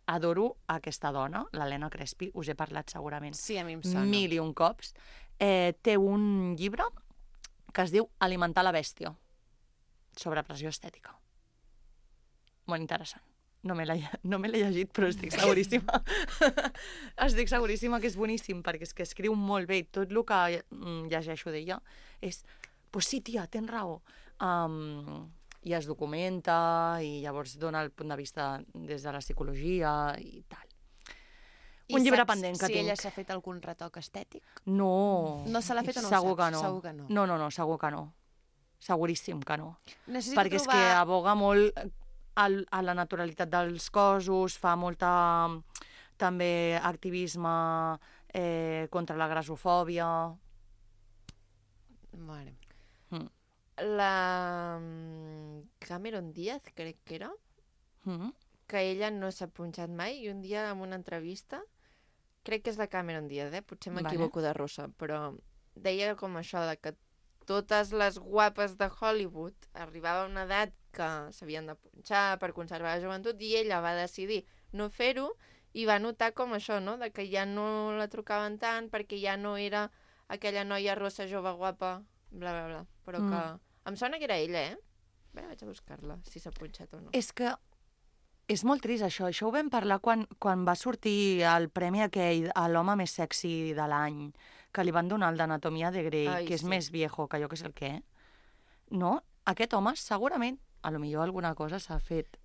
F: adoro aquesta dona, l'Helena Crespi, us he parlat segurament
B: Sí, a mi em sona.
F: mil i un cops. Eh, té un llibre que es diu Alimentar la bèstia, sobre pressió estètica. Molt interessant. No me l'he no me l'he llegit, però estic seguríssima. estic seguríssima que és boníssim, perquè és que escriu molt bé i tot el que mm, llegeixo d'ella és, pues sí, tia, tens raó. Um, I es documenta i llavors dona el punt de vista des de la psicologia i tal.
B: I
F: Un llibre
B: saps
F: pendent que
B: si
F: tinc.
B: ella s'ha fet algun retoc estètic?
F: No.
B: No se l'ha fet o no ho
F: segur
B: saps?
F: que no.
B: Segur que no.
F: No, no, no, segur que no. Seguríssim que no.
B: Necessito
F: Perquè és
B: trobar...
F: que aboga molt al, a la naturalitat dels cossos, fa molta també activisme eh, contra la grasofòbia.
B: Vale.
F: Mm.
A: La mm, Cameron Díaz, crec que era,
F: Mm.
A: que ella no s'ha punxat mai, i un dia en una entrevista, crec que és la Cameron Díaz, eh? potser m'equivoco de rossa, però deia com això, de que totes les guapes de Hollywood arribava a una edat que s'havien de punxar per conservar la joventut, i ella va decidir no fer-ho, i va notar com això, no?, de que ja no la trucaven tant perquè ja no era aquella noia rossa, jove, guapa, bla, bla, bla. Però
F: Mm.
A: que... Em sona que era ella, eh? Bé, vaig a buscar-la, si s'ha punxat o no.
F: És que és molt trist això. Això ho vam parlar quan, quan va sortir el premi aquell a l'home més sexy de l'any, que li van donar el d'Anatomia de Grey,
A: Ai,
F: que és
A: sí.
F: més viejo que jo que sé el què. No? Aquest home segurament, a lo millor alguna cosa s'ha fet.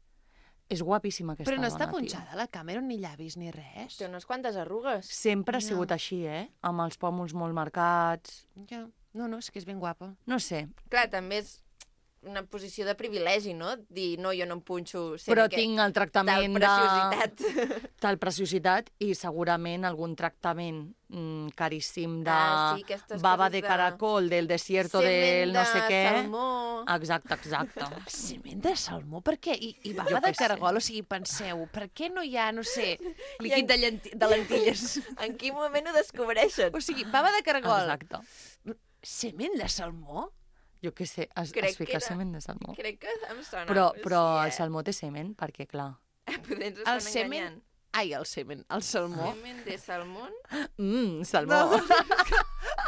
F: És guapíssima aquesta
B: Però no
F: dona,
B: està
F: tio.
B: punxada la Cameron, ni llavis, ni res.
A: Té unes quantes arrugues.
F: Sempre ha
B: No.
F: sigut així, eh? Amb els pòmuls molt marcats.
B: Ja. No, no, és que és ben guapa.
F: No sé.
A: Clar, també és una posició de privilegi, no? Dir, no, jo no em punxo...
F: Però tinc el tractament
A: de... Tal preciositat.
F: Tal preciositat i segurament algun tractament mm, caríssim de
A: ah, sí,
F: baba de caracol, del desierto, del no sé què.
A: Semen de salmó.
F: Exacte, exacte.
B: Semen de salmó? Per què? I, i baba de caragol? O sigui, penseu, per què no hi ha, no sé, líquid de, llenti de lentilles?
A: En quin moment ho descobreixen?
B: O sigui, baba de caragol.
F: Exacte.
B: Semen de salmó?
F: Jo què sé, es, es fica era... semen de salmó.
A: Crec que em sona.
F: Però, però
A: sí, eh?
F: el salmó té semen, perquè clar...
A: Potser ens
B: el
A: estan
B: semen...
A: enganyant.
B: Ai, el semen, el salmó.
A: Semen de salmó?
F: Mmm, salmó.
B: No,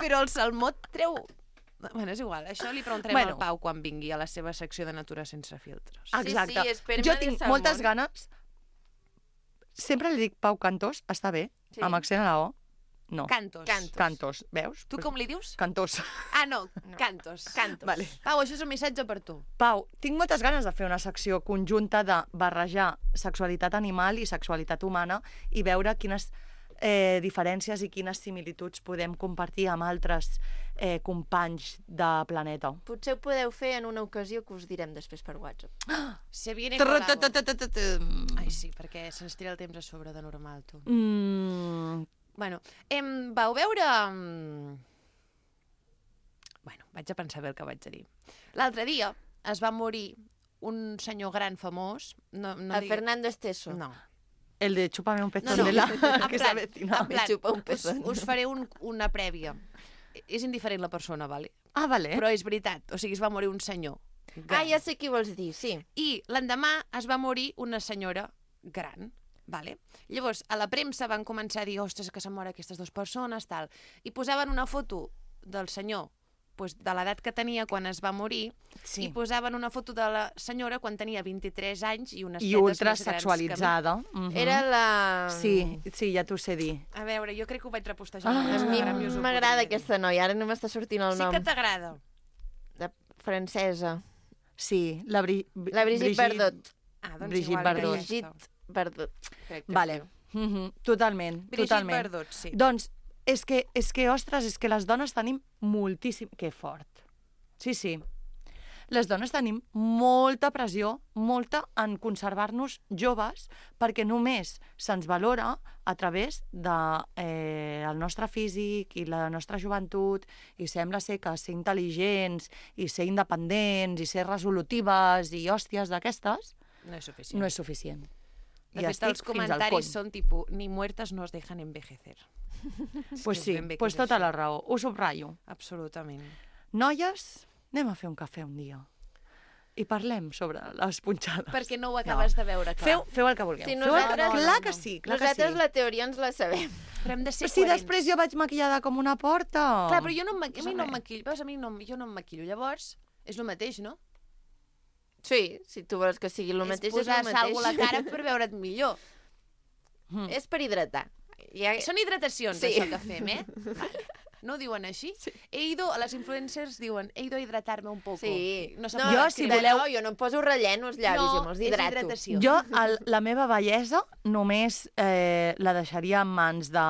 B: però el salmó treu... Bueno, és igual, això li preguntarem bueno. al Pau quan vingui a la seva secció de Natura sense filtres.
F: Exacte.
A: Sí, sí, esperma
F: jo
A: de
F: tinc
A: salmó.
F: moltes ganes... Sempre li dic Pau Cantós, està bé, sí. Amb accent a la O. No.
B: Cantos.
A: Cantos.
F: Cantos, veus?
B: Tu com li dius?
F: Cantós.
B: Ah, no,
A: no.
B: Cantos.
A: Cantos.
F: Vale.
B: Pau, això és un missatge per tu.
F: Pau, tinc moltes ganes de fer una secció conjunta de barrejar sexualitat animal i sexualitat humana i veure quines eh, diferències i quines similituds podem compartir amb altres eh, companys de planeta.
A: Potser ho podeu fer en una ocasió que us direm després per WhatsApp.
B: Se viene colado. Ai, sí, perquè se'ns tira el temps a sobre de normal, tu.
F: Mm...
B: Bueno, em, vau veure... Bueno, vaig a pensar bé el que vaig a dir. L'altre dia es va morir un senyor gran famós... No, no
A: a
B: digui...
A: Fernando Esteso.
B: No.
F: El de chúpame un pezón
B: no, no.
F: de la...
B: En
F: que
B: plan,
F: s'avetina.
B: en plan,
A: Xupa un
B: us,
A: pezón.
B: us faré un, una prèvia. És indiferent la persona, vale?
F: Ah, vale.
B: Però és veritat, o sigui, es va morir un senyor gran.
A: Ah, ja sé qui vols dir, sí.
B: I l'endemà es va morir una senyora gran, vale? Llavors, a la premsa van començar a dir, ostres, que s'han mort aquestes dues persones, tal. I posaven una foto del senyor pues, de l'edat que tenia quan es va morir,
F: sí.
B: I posaven una foto de la senyora quan tenia vint-i-tres anys i unes
F: I
B: tetes
F: ultra
B: més grans
F: sexualitzada.
B: que...
F: Mm -hmm.
A: Era la...
F: Sí, sí, ja t'ho sé dir.
B: A veure, jo crec que ho vaig repostejar.
F: Ah,
A: A mi m'agrada aquesta noia, ara no m'està sortint el
B: sí
A: nom.
B: Sí que t'agrada.
A: De francesa.
F: Sí, la, Bri...
A: la Brigitte, Brigitte Bardot.
B: Ah, doncs
F: Brigitte
B: igual.
F: Bardot.
A: Brigitte Bardot.
F: Vale. Mm -hmm. Totalment,
B: Brigitte
F: totalment.
B: Bardot, sí.
F: Doncs és que, és que, ostres, és que les dones tenim moltíssim... Que fort. Sí, sí. Les dones tenim molta pressió, molta en conservar-nos joves, perquè només se'ns valora a través del de, eh, el nostre físic i la nostra joventut, i sembla ser que ser intel·ligents i ser independents i ser resolutives i hòsties d'aquestes
B: no és suficient.
F: No és suficient.
B: De fet, els comentaris són tipus, ni muertes no es dejan envejecer.
F: Pues sí, pues tota la raó. Ho subratllo.
B: Absolutament.
F: Noies, anem a fer un cafè un dia i parlem sobre les punxades.
B: Perquè no ho acabes no. de veure clar.
F: Feu, feu el que vulgueu.
A: Sí,
F: nosaltres,
A: no, no,
F: clar
A: no.
F: que sí, clar
A: nosaltres
F: que sí.
A: la teoria ens la sabem.
B: Però hem de ser
F: si
B: coherents.
F: després jo vaig maquillada com una porta...
B: Clar, però jo no em, a mi no em maquillo. Veus, a mi no, jo no em maquillo. Llavors, és el mateix, no?
A: Sí, si tu vols que sigui el mateix, és el mateix.
B: És posar sal a la cara per veure't millor.
A: Mm. És per hidratar.
B: Ja... Són hidratacions,
A: sí.
B: això que fem, eh? Vale. No ho diuen així? Sí. He ido, a les influencers diuen, he ido a hidratar-me un poco.
A: Sí.
B: No,
A: no jo, si voleu... No, jo no em poso relleno als llavis,
B: no,
A: jo me'ls hidrato.
B: hidratació.
F: Jo, el, la meva bellesa, només eh, la deixaria en mans de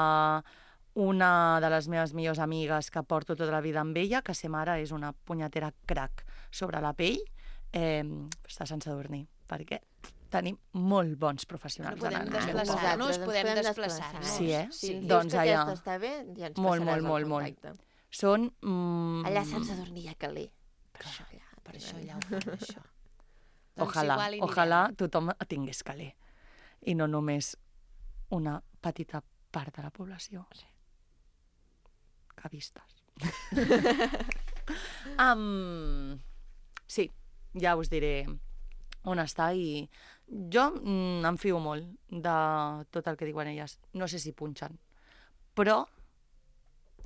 F: una de les meves millors amigues que porto tota la vida amb ella, que sa mare és una punyetera crac sobre la pell, eh, està sense dormir, perquè tenim molt bons professionals.
B: No podem desplaçar-nos, podem desplaçar-nos.
F: Sí, eh?
A: Si ens
F: doncs
A: dius que
F: allà...
A: aquesta està bé, ja ens
F: molt,
A: passaràs
F: molt,
A: el
F: molt,
A: contacte.
F: molt. Són... Mm...
A: Allà sense dormir a Calais. Per
B: Clar,
A: això allà.
B: Per això allà ho fan, això.
F: Ojalà, doncs ojalà tothom tingués Calais. I no només una petita part de la població. Sí. Que vistes. um, sí, ja us diré on està i jo mm, em fio molt de tot el que diuen elles. No sé si punxen, però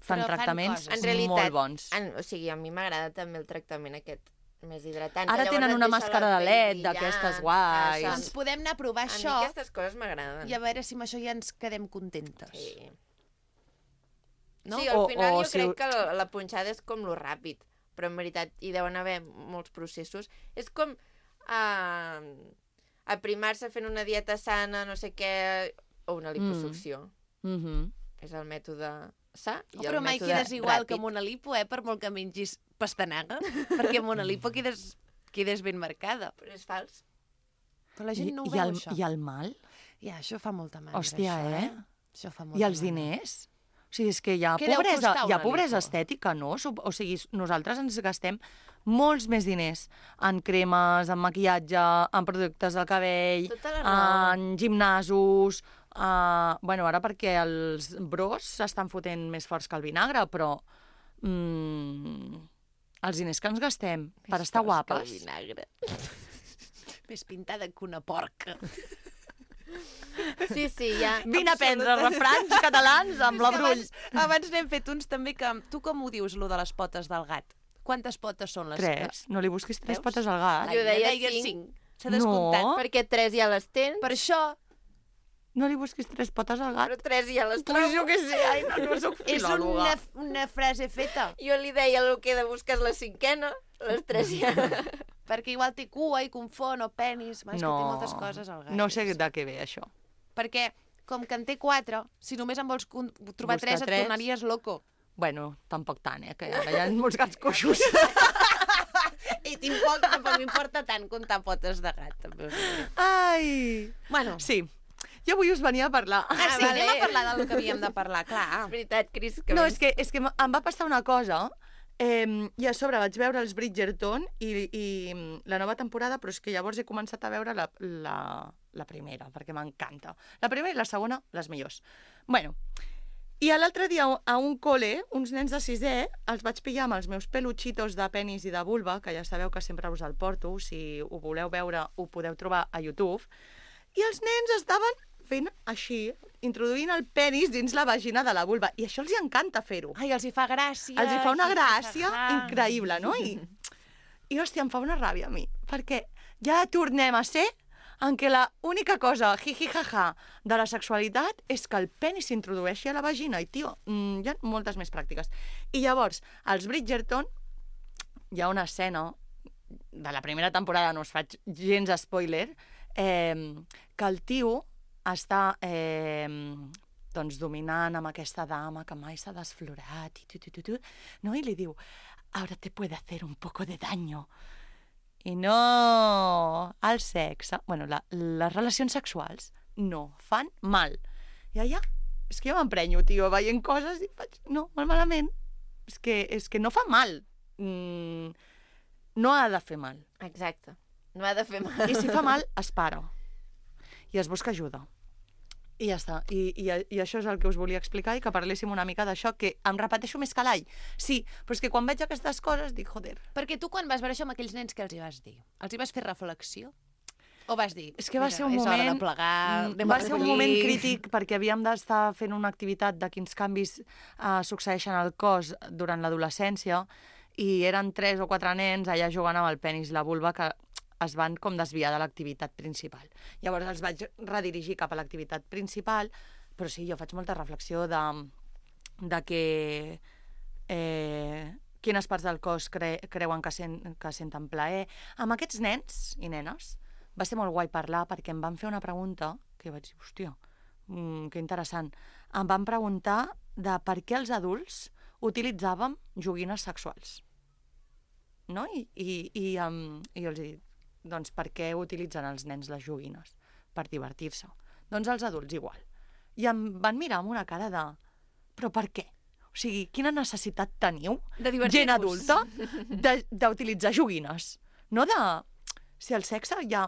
F: fan
B: però
F: tractaments
B: fan
A: en realitat,
F: molt bons.
A: En, o sigui, a mi m'agrada també el tractament aquest més hidratant.
F: Ara tenen una màscara de L E D d'aquestes guais.
B: Doncs podem anar a provar
A: a
B: això.
A: A mi aquestes coses m'agraden.
B: I a veure si amb això ja ens quedem contentes.
A: Sí.
B: No?
A: Sí, al
F: o,
A: final
F: o,
A: jo
F: si...
A: crec que la, la punxada és com lo ràpid, però en veritat hi deuen haver molts processos. És com uh, aprimar-se fent una dieta sana, no sé què, o una liposucció.
F: Mm. Mm-hmm.
A: És el mètode sa i
B: oh, però
A: el
B: mai
A: mètode
B: quedes igual
A: ràpid.
B: que amb una lipo, eh, per molt que mengis pastanaga, perquè amb una lipo quedes quedes ben marcada.
A: Però és fals.
B: Però la gent no ho
F: I,
B: veu,
F: el,
B: això.
F: I el mal?
B: Ja, això fa molta mandra,
F: Hòstia,
B: això,
F: eh?
B: eh? Això fa molta
F: I els
B: mandra.
F: diners? O sigui, és que hi ha
B: Què deu
F: pobresa,
B: costar
F: hi ha
B: una
F: pobresa
B: lipo?
F: estètica, no? O sigui, nosaltres ens gastem molts més diners en cremes, en maquillatge, en productes del cabell,
A: Tota la raó.
F: en gimnasos... Uh, bueno, ara perquè els bros s'estan fotent més forts que el vinagre, però... Mm, els diners que ens gastem per estar guapes...
B: vinagre. Més pintada que una porca.
A: Sí, sí, ja...
F: Vine a prendre refranys catalans amb la Brull.
B: Abans, abans n'hem fet uns també que... Tu com ho dius, lo de les potes del gat? Quantes potes són les
F: Tres. No li busquis tres
B: Veus?
F: potes al gat.
A: Jo deia
B: deia
A: cinc.
B: cinc. S'ha descomptat.
F: No.
A: Perquè tres ja les tens,
B: Per això
F: No li busquis tres potes al gat.
A: però tres ja les
F: Pues
A: trobo.
F: jo què sé, ai, no, no soc
B: és
F: filòloga.
B: una, una frase feta.
A: Jo li deia el que he de buscar és la cinquena, les tres ja...
B: Perquè igual té cua i confon o penis. Va, és
F: No,
B: que té moltes coses al gat.
F: no sé de què ve això.
B: Perquè, com que en té quatre, si només en vols con- trobar
F: Buscar
B: tres, et
F: tres.
B: tornaries loco.
F: Bueno, tampoc tant, eh, que ara hi ha molts gats coixos.
B: I tampoc, tampoc m'importa tant comptar potes de gat. També us ho diré.
F: Ai!
B: Bueno,
F: Sí, jo avui us venia a parlar.
B: ah, sí,
A: vale.
B: anem a parlar del que havíem de parlar, clar.
A: És veritat, Cris, que...
F: No,
A: vens-
F: és que, és que em va passar una cosa, eh, i a sobre vaig veure els Bridgerton i, i la nova temporada, però és que llavors he començat a veure la, la, la primera, perquè m'encanta. La primera i la segona, les millors. Bueno, i l'altre dia a un col·le, uns nens de sisè, els vaig pillar amb els meus peluchitos de penis i de vulva, que ja sabeu que sempre us el porto, si ho voleu veure ho podeu trobar a YouTube, i els nens estaven fent així, introduint el penis dins la vagina de la vulva, i això els hi encanta fer-ho.
B: Ai, els hi fa gràcia.
F: Els hi fa una
B: hi
F: gràcia
B: fa-
F: increïble, no? I, I hòstia, em fa una ràbia a mi, perquè ja tornem a ser en què la única cosa, jiji-jaja, de la sexualitat és que el penis s'introdueixi a la vagina, i, tio, mm, hi ha moltes més pràctiques. I llavors, als Bridgerton, hi ha una escena de la primera temporada, no us faig gens spoiler, eh, que el tio està eh, doncs dominant amb aquesta dama que mai s'ha desflorat i tu, tu, tu, tu, no? I li diu, ahora te puede hacer un poco de daño. I no, el sexe, bueno, la, les relacions sexuals no fan mal. I allà, és que jo m'emprenyo, tio, veient coses i faig, no, molt malament. És que, és que no fa mal. Mm, no ha de fer mal.
A: Exacte. No ha de fer mal.
F: I si fa mal, es para. I es busca ajuda. I ja està. I, i, I això és el que us volia explicar i que parléssim una mica d'això, que em repeteixo més que l'all. Sí, però és que quan veig aquestes coses dic, joder.
B: Perquè tu quan vas veure això amb aquells nens, què els hi vas dir? Els hi vas fer reflexió? O vas dir,
F: És que va
B: mira,
F: ser un
B: és hora
F: moment...
B: de plegar,
F: mm,
B: anem a
F: va ser un
B: recollir.
F: moment crític perquè havíem d'estar fent una activitat de quins canvis uh, succeeixen al cos durant l'adolescència i eren tres o quatre nens allà jugant amb el penis i la vulva que es van com desviar de l'activitat principal. Llavors els vaig redirigir cap a l'activitat principal, però sí, jo faig molta reflexió de, de que eh, quines parts del cos cre creuen que, sent, que senten plaer. Amb aquests nens i nenes va ser molt guai parlar perquè em van fer una pregunta que vaig dir, hòstia, mm, que interessant. Em van preguntar de per què els adults utilitzàvem joguines sexuals. No? I, i, i, um, i jo els he dit, doncs per què utilitzen els nens les joguines? Per divertir-se. Doncs els adults igual. I em van mirar amb una cara de... Però per què? O sigui, quina necessitat teniu,
B: De divertir-vos.
F: gent adulta, d'utilitzar joguines? No de... Si el sexe ja,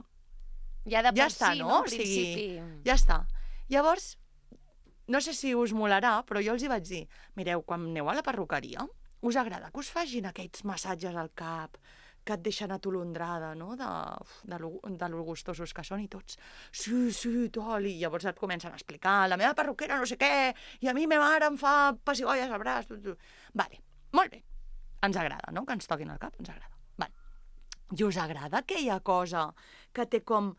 B: Ja de
F: ja
B: per
F: està,
B: si,
F: no?
B: no?
F: O
B: En
F: sigui,
B: principi.
F: ja està. Llavors, no sé si us molarà, però jo els hi vaig dir, mireu, quan aneu a la perruqueria, us agrada que us facin aquells massatges al cap, que et deixen atolondrada, no?, de, de, lo, de lo gustosos que són i tots. Sí, sí, tal, i llavors et comencen a explicar, la meva perruquera no sé què, i a mi ma mare em fa pessigolles al braç. Tu, tu. Vale, molt bé. Ens agrada, no?, que ens toquin el cap, ens agrada. Vale. I us agrada aquella cosa que té com...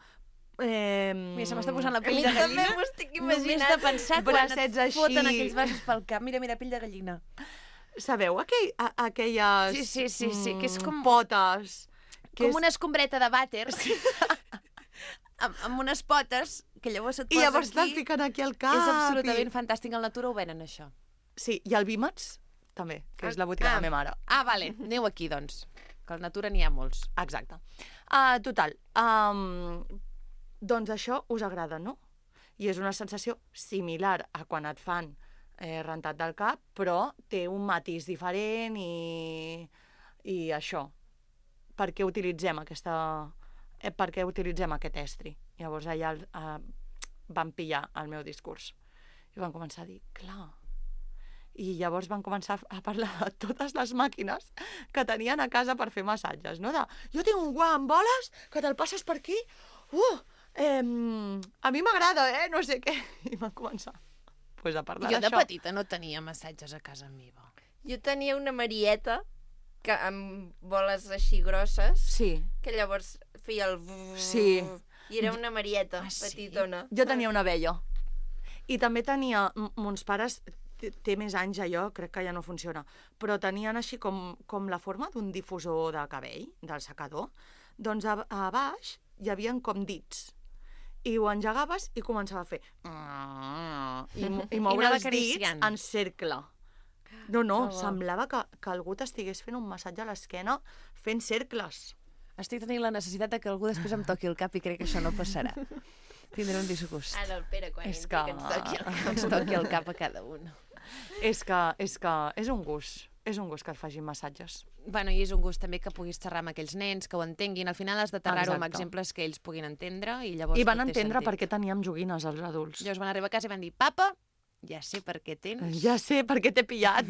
F: Eh...
B: Mira, se m'està posant la
A: A
B: pell
A: mi
B: de
A: també
B: gallina.
A: m'ho estic
B: Només
A: imaginant.
B: de pensar quan et
F: Bracets així.
B: foten aquells braços pel cap. Mira, mira, pell de gallina.
F: Sabeu aquell, a, aquelles
B: Sí, sí, sí, sí, que és com-
F: mm, potes? Que
B: Com
F: és...
B: una escombreta de vàter. amb, amb unes potes que llavors et
F: I
B: poses
F: llavors te'n
B: aquí.
F: fiquen aquí al cap.
B: És absolutament
F: I...
B: fantàstic. Al Natura ho venen, això.
F: Sí, i el Vímets també, que és la botiga
B: Ah.
F: de la meva mare.
B: Ah, vale. Aneu aquí, doncs. que a la natura n'hi ha molts.
F: Exacte. Uh, total, um, doncs això us agrada, no? I és una sensació similar a quan et fan eh, rentat del cap, però té un matís diferent i, i això. Per què utilitzem aquesta... Eh, per què utilitzem aquest estri? Llavors allà eh, van pillar el meu discurs i van començar a dir, clar... I llavors van començar a parlar de totes les màquines que tenien a casa per fer massatges, no? De, jo tinc un guant amb boles que te'l passes per aquí, uh, eh, a mi m'agrada, eh, no sé què. I van començar pues, a parlar
B: d'això. Jo de
F: això.
B: petita no tenia massatges a casa meva.
A: Jo tenia una Marieta que amb boles així grosses,
F: sí.
A: que llavors feia el...
F: Sí.
A: I era una Marieta
B: ah,
A: petitona.
F: Sí? Jo tenia una abella. I també tenia... Mons pares... té més anys allò, crec que ja no funciona, però tenien així com, com la forma d'un difusor de cabell, del secador, doncs a, a baix hi havia com dits. I ho engegaves i començava a fer... I, i moure els dits en cercle. No, no, oh, semblava que, que algú t'estigués fent un massatge a l'esquena fent cercles.
B: Estic tenint la necessitat de que algú després em toqui el cap i crec que això no passarà. Tindré un disgust.
A: Ara el Pere, quan
F: és
A: entri,
F: que...
A: que ens toqui el cap.
B: Ens toqui el cap a cada un.
F: És que, és que és un gust, és un gust que et facin massatges.
B: Bueno, i és un gust també que puguis xerrar amb aquells nens, que ho entenguin. Al final has de xerrar-ho amb exemples que ells puguin entendre i llavors
F: I van entendre per què teníem joguines els adults.
B: Llavors van arribar a casa i van dir, papa, ja sé per què tens.
F: Ja sé per què t'he pillat.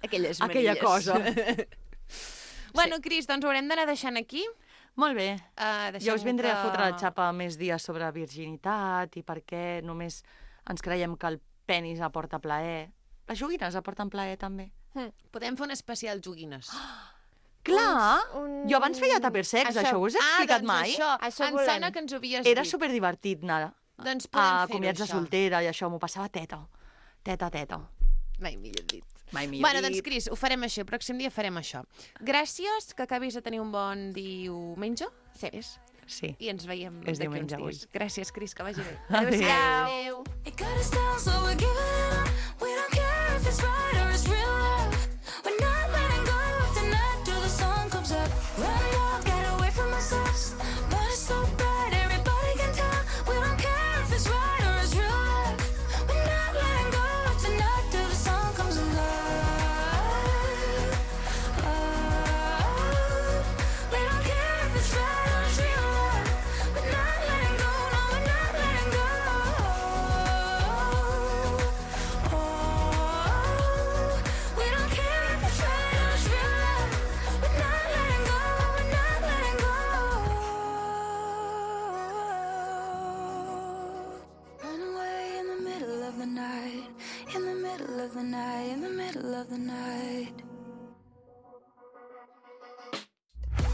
B: Aquelles maries.
F: Aquella cosa.
B: Bueno, Cris, doncs ho haurem d'anar deixant aquí.
F: Molt bé.
B: Uh,
F: jo us vindré que... a fotre la xapa més dies sobre virginitat i per què només ens creiem que el penis aporta plaer. Les joguines aporten plaer, també.
B: Hmm. Podem fer un especial joguines.
F: Clar!
A: Un...
F: Jo abans feia tupper sex, això, això us he explicat
B: ah, doncs
F: mai?
B: Això,
A: això
B: em sona que ens ho havies
F: Era
B: dit.
F: superdivertit anar
B: doncs
F: a comiats de soltera i això, m'ho passava teta. Teta, teta.
B: Mai millor dit.
F: Mai millor
B: bueno,
F: dit.
B: doncs, Cris, ho farem així. El pròxim dia farem això. Gràcies, que acabis de tenir un bon diumenge. Sí. És?
F: Sí.
B: I ens veiem
F: és
B: d'aquí uns
F: avui.
B: dies. Gràcies, Cris, que vagi bé.
F: Adéu.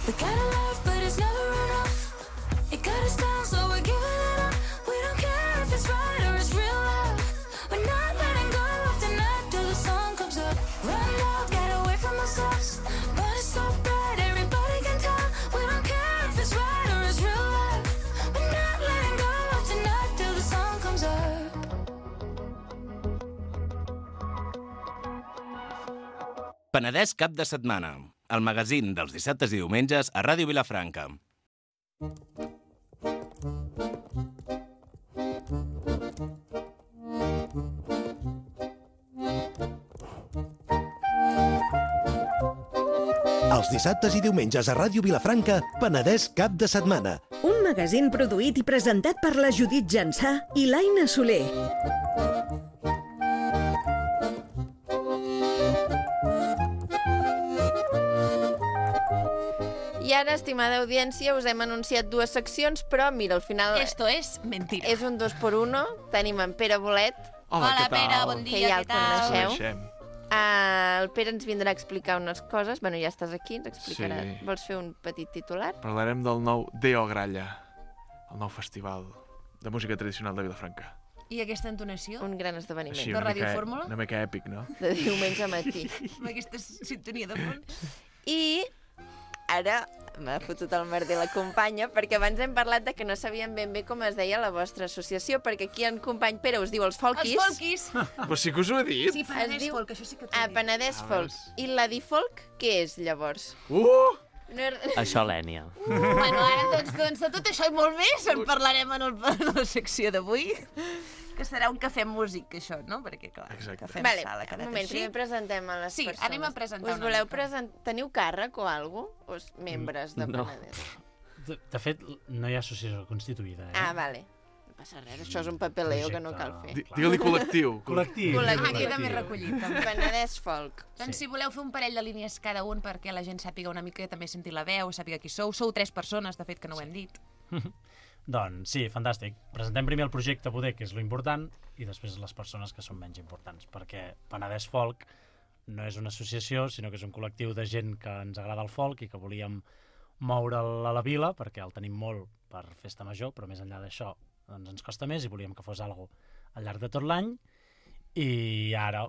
D: We got a love, but it's never enough. It got us down, so we're giving it up. We don't care if it's right or it's real love. We're not letting go of the night till the sun comes up. Run out, get away from ourselves. But it's so bright, everybody can tell. We don't care if it's right or it's real love. We're not letting go of the night till the sun comes up.
E: Penedès cap de setmana. El magazín dels dissabtes i diumenges a Ràdio Vilafranca.
G: Els dissabtes i diumenges a Ràdio Vilafranca, Penedès cap de setmana.
H: Un magazín produït i presentat per la Judit Jansà i l'Aina Soler.
A: I ara, estimada audiència, us hem anunciat dues seccions, però mira, al final...
B: Esto es mentira.
A: És un dos por uno. Tenim en Pere Bolet.
I: Hola,
B: Hola,
I: què tal?
B: Pere, bon dia,
A: que ja
B: què
A: el
B: tal?
A: coneixeu. Uh, el Pere ens vindrà a explicar unes coses. Bueno, ja estàs aquí, ens explicarà.
I: Sí.
A: Vols fer un petit titular?
I: Parlarem del nou Deo Gralla, el nou festival de música tradicional de Vilafranca.
B: I aquesta entonació?
A: Un gran esdeveniment.
I: Així,
B: De
I: una
B: Ràdio
I: mica,
B: Fórmula?
I: una mica èpic, no?
A: De diumenge a matí.
B: Amb aquesta sintonia de fons?
A: I ara m'ha fotut el merder la companya, perquè abans hem parlat de que no sabíem ben bé com es deia la vostra associació, perquè aquí en company Pere us diu els Folkis.
B: Els Folkis!
I: Però sí que us ho he dit.
B: Sí, Penedès
A: Es diu-
B: Folk, això sí que t'ho
A: Ah,
B: he dit.
A: Penedès
I: Ah,
A: Folk.
I: veus?
A: I la Difolk, què és, llavors?
I: Uh!
A: No és...
J: Això, l'Ènia.
B: Uh, bueno, ara, doncs, doncs, de tot això i molt més en parlarem en, el, en la secció d'avui, que serà un cafè músic, això, no? Perquè, clar,
I: Exacte.
B: cafè
A: Vale,
B: sala,
A: un moment,
B: així.
A: primer presentem a les
B: Sí,
A: persones.
B: anem a presentar
A: Us
B: una
A: voleu
B: mica.
A: presentar... Teniu càrrec o alguna cosa? O és membres de
J: No.
A: Penedès?
K: De, de fet, no hi ha associació constituïda, eh?
A: Ah, vale. No passa res, això és un papeleo que no cal fer.
I: Di- Digue-li col·lectiu.
K: Col·lectiu.
A: Col·lectiu.
B: Ah, queda més recollit. També.
A: Penedès Folk.
B: Doncs
K: Sí.
B: si voleu fer un parell de línies cada un perquè la gent sàpiga una mica, també sentir la veu, sàpiga qui sou. Sou tres persones, de fet, que no ho hem dit.
K: Doncs sí, fantàstic. Presentem primer el projecte poder, que és lo important, i després les persones que són menys importants, perquè Penedès Folk no és una associació, sinó que és un col·lectiu de gent que ens agrada el folk i que volíem moure'l a la vila, perquè el tenim molt per festa major, però més enllà d'això doncs ens costa més i volíem que fos algo al llarg de tot l'any, i ara,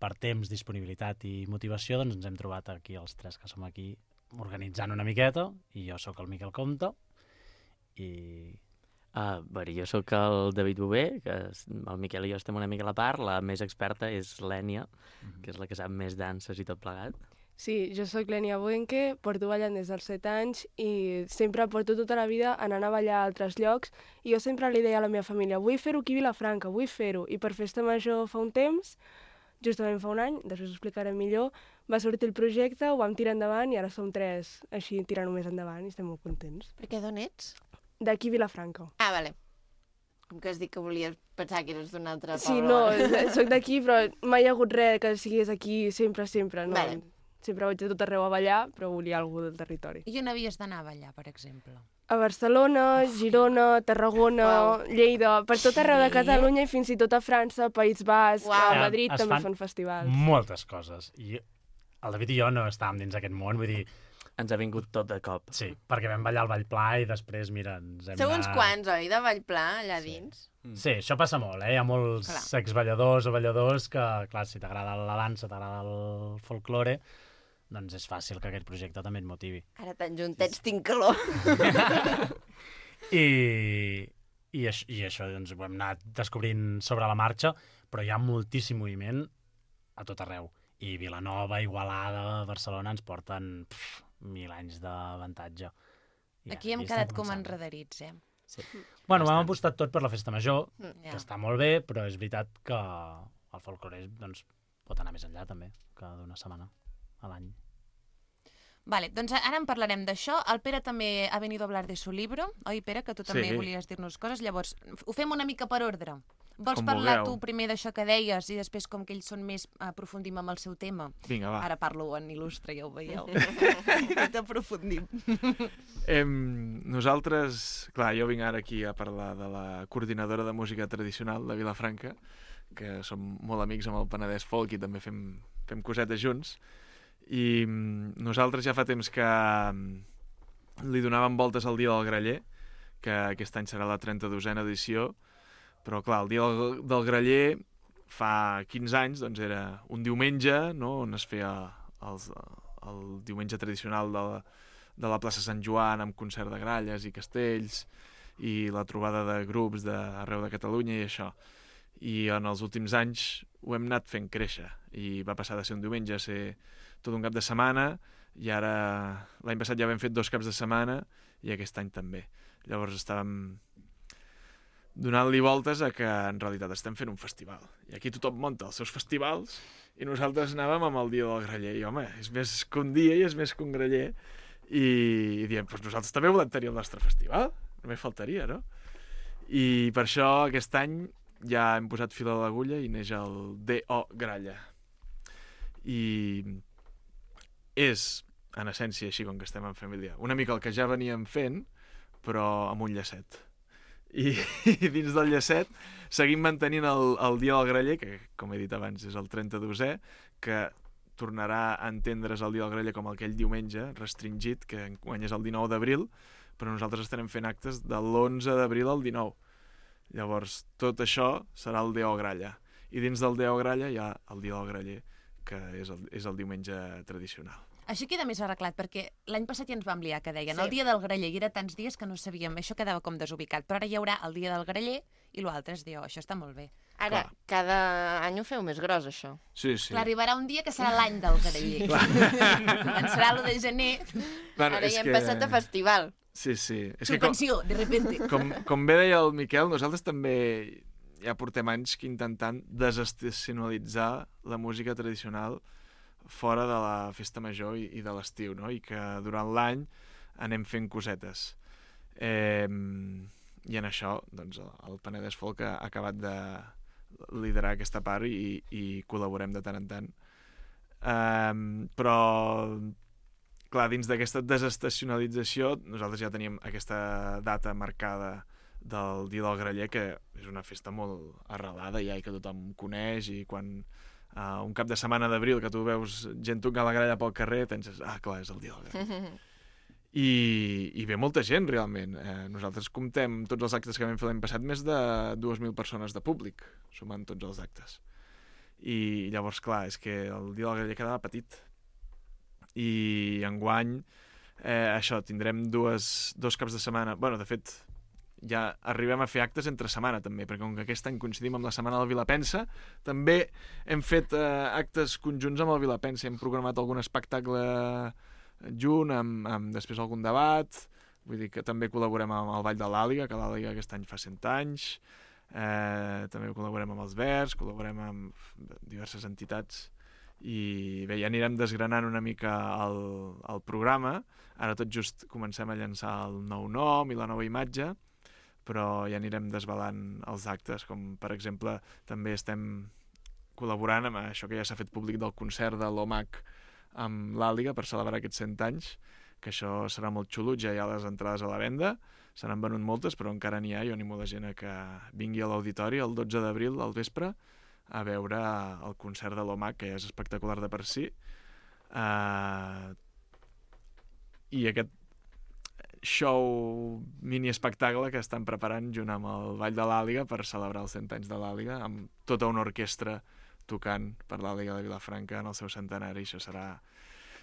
K: per temps, disponibilitat i motivació, doncs ens hem trobat aquí, els tres que som aquí, organitzant una miqueta, i jo sóc el Miquel Comte, i...
J: Uh, bé, jo sóc el David Bové, que és- el Miquel i jo estem una mica a la part, la més experta és l'Ènia,
K: Mhm.
J: que és la que sap més danses i tot plegat.
L: Sí, jo sóc l'Ènia Buenque, porto ballant des dels set anys i sempre porto tota la vida anant a ballar a altres llocs i jo sempre li deia a la meva família vull fer-ho aquí a Vilafranca, vull fer-ho. I per Festa Major fa un temps, justament fa un any, després ho explicaré millor, va sortir el projecte, ho vam tirar endavant i ara som tres així tirant-ho més endavant i estem molt contents.
A: Perquè d'on ets?
L: D'aquí a Vilafranca.
A: Ah, vale. Com que has dit que volies pensar que eres d'un altre poble.
L: Sí, no, sóc d'aquí, però mai hi ha hagut res que sigués aquí sempre, sempre. No?
A: Vale.
L: Sempre vaig a tot arreu a ballar, però volia algú del territori.
B: I on havies d'anar a ballar, per exemple?
L: A Barcelona, Girona, Tarragona,
A: Uau.
L: Lleida, per tot arreu de
B: Sí.
L: Catalunya i fins i tot a França, País Basc,
A: Uau.
L: a Madrid
K: Es
L: també
K: fan
L: fan festivals.
K: moltes coses. I el David i jo no estàvem dins aquest món, vull dir,
J: Ens ha vingut tot de cop.
K: sí, perquè vam ballar al Vallpla i després, mira, ens hem
A: Sou uns
K: anat-
A: quants, oi, de Vallpla, allà dins?
K: Sí, això passa molt, eh? Hi ha molts
B: Clar.
K: exballadors o balladors que, clar, si t'agrada la dansa, t'agrada el folklore, doncs és fàcil que aquest projecte també et motivi.
A: Ara tan juntets tinc calor.
K: I, i, això, i això doncs, ho hem anat descobrint sobre la marxa, però hi ha moltíssim moviment a tot arreu. I Vilanova, Igualada, Barcelona ens porten pff, mil anys d'avantatge. I
B: Aquí hem
K: estem
B: quedat com
K: començant.
B: enrederits, eh?
J: Sí.
K: Bueno, vam apostat tot per la festa major,
B: Ja.
K: que està molt bé, però és veritat que el folclore doncs, pot anar més enllà també, que d'una setmana a l'any.
B: Vale, doncs ara en parlarem d'això. El Pere també ha venido a hablar de su libro, oi, Pere? Que tu també
I: Sí.
B: volies dir-nos coses. Llavors, ho fem una mica per ordre. Vols
I: Com
B: parlar
I: vulgueu.
B: tu primer d'això que deies i després, com que ells són més, aprofundim amb el seu tema?
I: Vinga, va.
B: Ara parlo en il·lustre, ja ho veieu. I t'aprofundim.
I: Em, nosaltres, clar, jo vinc ara aquí a parlar de la coordinadora de música tradicional de Vilafranca, que som molt amics amb el Penedès Folk i també fem, fem cosetes junts. I mm, nosaltres ja fa temps que mm, li donàvem voltes al Dia del Graller, que aquest any serà la trenta-dosena edició, però clar, el Dia del, del Graller fa quinze anys doncs era un diumenge, no?, on es feia els, el diumenge tradicional de la, de la plaça Sant Joan amb concert de gralles i castells i la trobada de grups d'arreu de Catalunya i això. I en els últims anys ho hem anat fent créixer i va passar de ser un diumenge a ser tot un cap de setmana i ara l'any passat ja vam fet dos caps de setmana i aquest any també. Llavors estàvem donant-li voltes a que en realitat estem fent un festival. I aquí tothom munta els seus festivals i nosaltres anàvem amb el Dia del Graller. I home, és més que un dia i és més que un graller. I, i diem, doncs nosaltres també volem tenir el nostre festival. Només faltaria, no? I per això aquest any ja hem posat fil a l'agulla i neix el D O Gralla. I és, en essència, així com que estem en família, una mica el que ja veníem fent, però amb un llacet. I, i dins del llacet seguim mantenint el, el Dia del Graller, que, com he dit abans, és el trenta-dosè, que tornarà a entendre's el Dia del Graller com aquell diumenge restringit, que enguany és el dinou d'abril, però nosaltres estarem fent actes de l'onze d'abril al dinou. Llavors, tot això serà el Déu Gralla. I dins del Déu Gralla hi ha el Dia del Graller, que és el, és el diumenge tradicional.
B: Això queda més arreglat, perquè l'any passat ja ens vam liar, que deien
A: Sí.
B: el dia del graller, i era tants dies que no sabíem, això quedava com desubicat, però ara hi haurà el dia del graller i l'altre és dir, oh, això està molt bé.
A: Ara, clar, cada any ho feu més gros, això.
I: Sí, sí.
B: Clar, arribarà un dia que serà l'any del graller. Començarà l'u de gener.
A: Bueno, Ara ja hem que... passat a festival.
I: Sí, sí. És
B: Subvenció,
I: com...
B: de repente.
I: Com, com bé deia el Miquel, nosaltres també ja portem anys que intentant desestacionalitzar la música tradicional fora de la festa major i, i de l'estiu, no? I que durant l'any anem fent cosetes. Eh, I en això, doncs, el Penedès Folk ha acabat de liderar aquesta part i, i col·laborem de tant en tant. Um, però, clar, dins d'aquesta desestacionalització, nosaltres ja teníem aquesta data marcada del Dia del Graller, que és una festa molt arrelada ja i que tothom coneix, i quan uh, un cap de setmana d'abril que tu veus gent tocant la gralla pel carrer, penses, ah, clar, és el Dia del Graller. I, i ve molta gent, realment. Eh, nosaltres comptem tots els actes que vam fer l'any passat, més de dues mil persones de públic, sumant tots els actes. I llavors, clar, és que el Dia del Graller quedava petit. I enguany, eh, això, tindrem dues, dos caps de setmana... Bueno, de fet, ja arribem a fer actes entre setmana, també, perquè com que aquest any coincidim amb la Setmana del Vilapensa, també hem fet eh, actes conjunts amb el Vilapensa, hem programat algun espectacle junt, amb, amb després algun debat, vull dir que també col·laborem amb el Ball de l'Àliga, que l'Àliga aquest any fa cent anys, eh, també col·laborem amb els Verds, col·laborem amb diverses entitats, i bé, ja anirem desgranant una mica el, el programa. Ara tot just comencem a llançar el nou nom i la nova imatge, però ja anirem desvelant els actes, com per exemple també estem col·laborant amb això que ja s'ha fet públic del concert de l'O M A C amb l'Àliga per celebrar aquests cent anys, que això serà molt xulo. Ja hi ha les entrades a la venda, se n'han venut moltes, però encara n'hi ha. Jo animo la gent a que vingui a l'auditori el dotze d'abril al vespre a veure el concert de l'O M A C, que ja és espectacular de per si. Uh, I aquest show mini-espectacle que estan preparant junt amb el Ball de l'Àliga per celebrar els cent anys de l'Àliga, amb tota una orquestra tocant per l'Àliga de Vilafranca en el seu centenari. Això serà,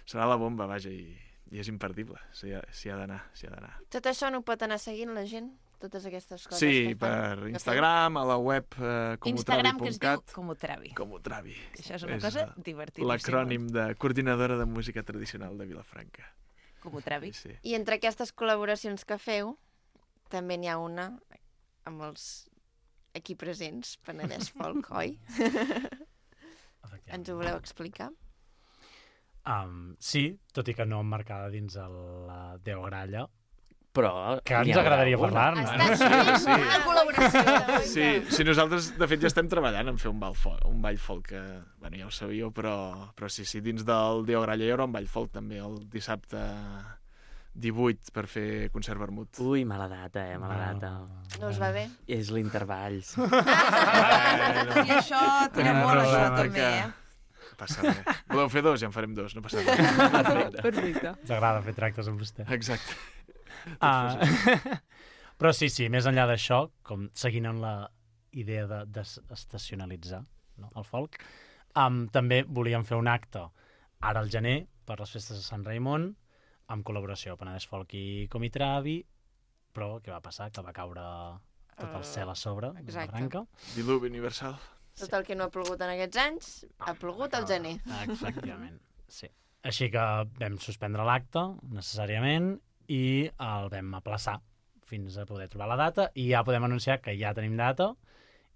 I: serà la bomba, vaja, i, i és imperdible. S'hi ha, s'hi ha d'anar, s'hi ha d'anar.
A: Tot això no pot anar seguint la gent? Totes aquestes coses?
I: Sí,
A: que fan,
I: per Instagram, a la web eh, comotravi punt cat.
B: Instagram, que es diu Comotravi.
I: Comotravi.
B: Això és una és cosa divertida.
I: L'acrònim de Coordinadora de Música Tradicional de Vilafranca.
B: Comotravi.
I: Sí, sí.
A: I entre aquestes col·laboracions que feu, també n'hi ha una amb els aquí presents, Penedès Folk, oi? Ens ho voleu explicar?
K: Um, sí, tot i que no emmarcada dins la Déu Gralla,
J: però
K: que ens agradaria parlar-ne.
B: Està sí, sí. Una col·laboració.
I: Sí, sí, nosaltres, de fet, ja estem treballant en fer un ball folk, un ball folk que, bueno, ja ho sabíeu, però, però sí, sí, dins del Déu Gralla hi haurà un ball folk també el dissabte divuit per fer concert vermut.
J: Ui, mala data, eh, mala data.
A: No us va bé?
J: És l'intervalls.
B: I això tira molt, això també, eh?
I: Passa res. Voleu fer dos? Ja en farem dos, no passa res.
L: Perfecte. Perfecte.
K: Ens agrada fer tractes amb vostè.
I: Exacte.
K: Uh, però sí, sí, més enllà d'això, com seguint amb la idea de desestacionalitzar, no, el folk, um, també volíem fer un acte ara al gener per les festes de Sant Raimon, amb col·laboració Penedès Folk i Comitravi, però què va passar? Que va caure tot el cel a sobre, uh, de Branca.
I: Diluvi universal.
A: Tot el que no ha plogut en aquests anys, ha plogut al gener.
K: Efectivament, sí. Així que vam suspendre l'acte, necessàriament, i el vam aplaçar fins a poder trobar la data, i ja podem anunciar que ja tenim data,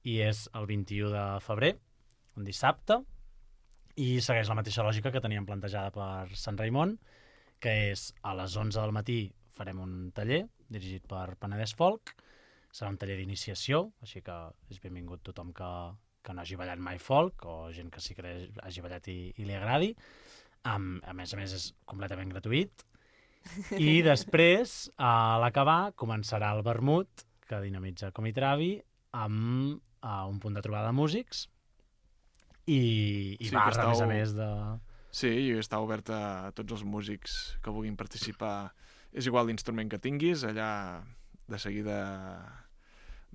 K: i és el vint-i-u de febrer, un dissabte, i segueix la mateixa lògica que teníem plantejada per Sant Raimon, que és a les onze del matí farem un taller dirigit per Penedès Folk. Serà un taller d'iniciació, així que és benvingut tothom que, que no hagi ballat mai folk, o gent que sí que hagi ballat i, i li agradi. Um, a més a més, és completament gratuït. I després, a l'acabar, començarà el vermut, que dinamitza Comitravi, amb uh, un punt de trobada de músics, i, i sí, barra, a més a més, de...
I: Sí, i està obert a tots els músics que vulguin participar. És igual l'instrument que tinguis, allà de seguida,